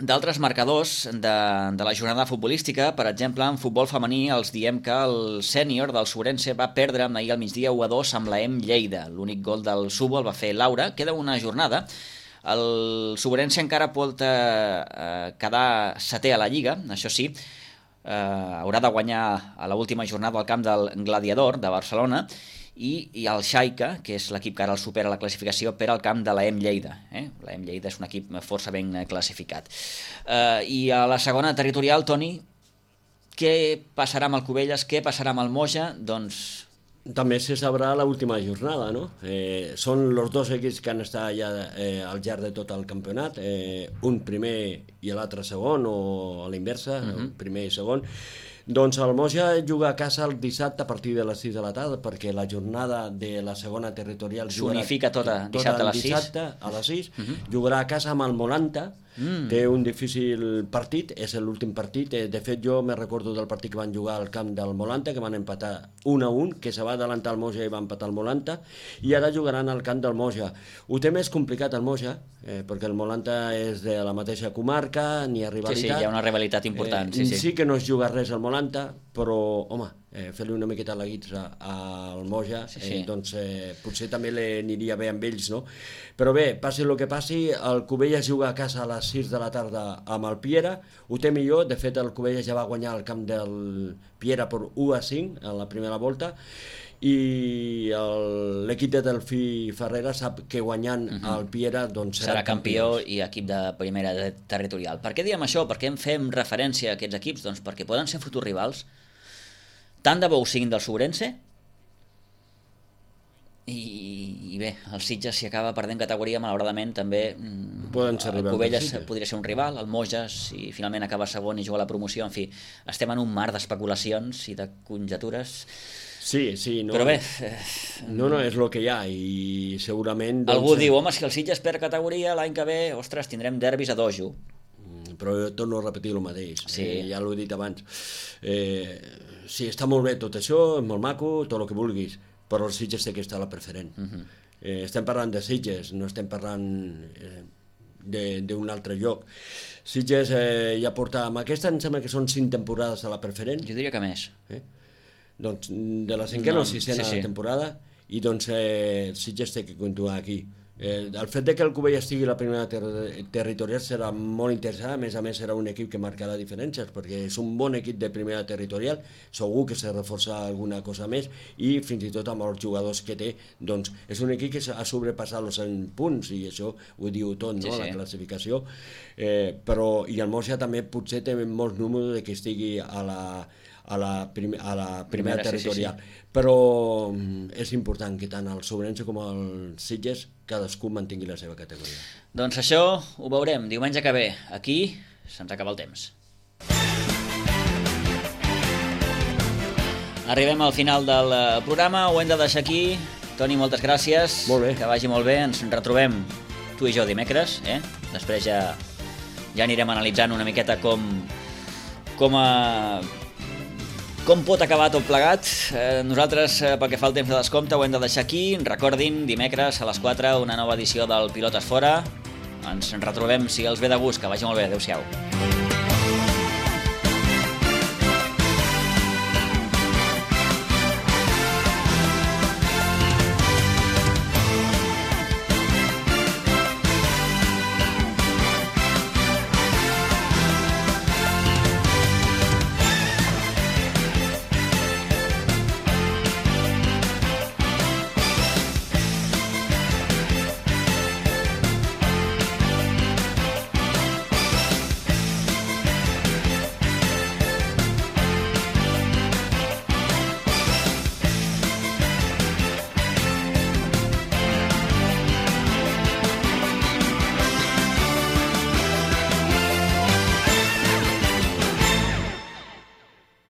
d'altres marcadors de la jornada futbolística. Per exemple, en futbol femení els diem que el sènior del Sobrense va perdre ahir al migdia 1-2 amb la Lleida. L'únic gol del Subo el va fer Laura. Queda una jornada. El Sobrense encara pot quedar setè a la Lliga, això sí, haurà de guanyar a l'última jornada al camp del Gladiador de Barcelona, i el Xaica, que és l'equip que ara el supera la classificació, per al camp de la Lleida. La Lleida és un equip força ben classificat. I a la segona territorial, Toni, què passarà amb el Cubelles, què passarà amb el Moja? Doncs també se sabrà l'última jornada, no? Són els dos equips que han estat ja al llarg de tot el campionat, un primer i l'altre segon, o a la inversa, primer i segon. Doncs el Moja juga a casa el dissabte a partir de les 6 de la tarda, perquè la jornada de la segona territorial s'unifica tota dissabte a les 6. Dissabte a les 6, jugarà a casa amb el Molanta, té un difícil partit, és l'últim partit. De fet, jo me recordo del partit que van jugar al camp del Molanta, que van empatar 1-1, que se va adelantar el Moja i va empatar el Molanta, i ara jugaran al camp del Moja. Ho té més complicat el Moja, perquè el Molanta és de la mateixa comarca, n'hi ha rivalitat. Sí, hi ha una rivalitat important. Sí que no es juga res al Molanta, però, home, fer-li una miqueta la guitza al Moja, doncs potser també aniria bé amb ells, no? Però bé, passi el que passi, el Cubelles juga a casa a les 6 de la tarda amb el Piera, ho té millor. De fet, el Cubelles ja va guanyar el camp del Piera per 1-5 en la primera volta, i l'equip de Delfí Ferrera sap que guanyant el Piera doncs serà campió i equip de primera territorial. Per què diem això? Per què en fem referència a aquests equips? Doncs perquè poden ser futurs rivals, tant de bo ho siguin del Sobrense, i bé, el Sitges, si acaba perdent categoria, malauradament també el Cubelles podria ser un rival, el Moja, si finalment acaba segon i juga a la promoció. En fi, estem en un mar d'especulacions i de conjectures. Sí, no. Però bé, no, és el que hi ha, i segurament algú diu, home, si el Sitges perd categoria l'any que ve, ostres, tindrem derbis a dojo. Però jo torno a repetir el mateix, ja l'ho he dit abans. Sí, està molt bé tot això, és molt maco, tot el que vulguis, però el Sitges té que estar a la preferent. Estem parlant de Sitges, no estem parlant d'un altre lloc. Sitges ja porta, amb aquesta em sembla que són 5 temporades a la preferent. Jo diria que més. Doncs de la cinquena o sisena temporada, i doncs Sitges té que continuar aquí. El fet de que el Cubell estigui a la primera territorial serà molt interessant. A més serà un equip que marcarà diferències, perquè és un bon equip de primera territorial, segur que s'ha reforçat alguna cosa més, i fins i tot amb els jugadors que té, doncs és un equip que ha sobrepassat els 100 punts, i això ho diu tot, no? La classificació, però i el Moja també potser té molts números de que estigui a la primera territorial. Però és important que tant el Sobrense com el Sitges cadascú mantingui la seva categoria. Doncs això ho veurem diumenge que ve. Aquí se'ns acaba el temps. Arribem al final del programa, ho hem de deixar aquí. Toni, moltes gràcies. Molt bé. Que vagi molt bé. Ens retrobem tu i jo dimecres. Després ja anirem analitzant una miqueta com pot acabar tot plegat. Nosaltres, pel que fa al temps de descompte, ho hem de deixar aquí. Recordin, dimecres a les 4, una nova edició del Pilotes Fora. Ens retrobem, si els ve de gust. Que vagi molt bé. Adéu-siau.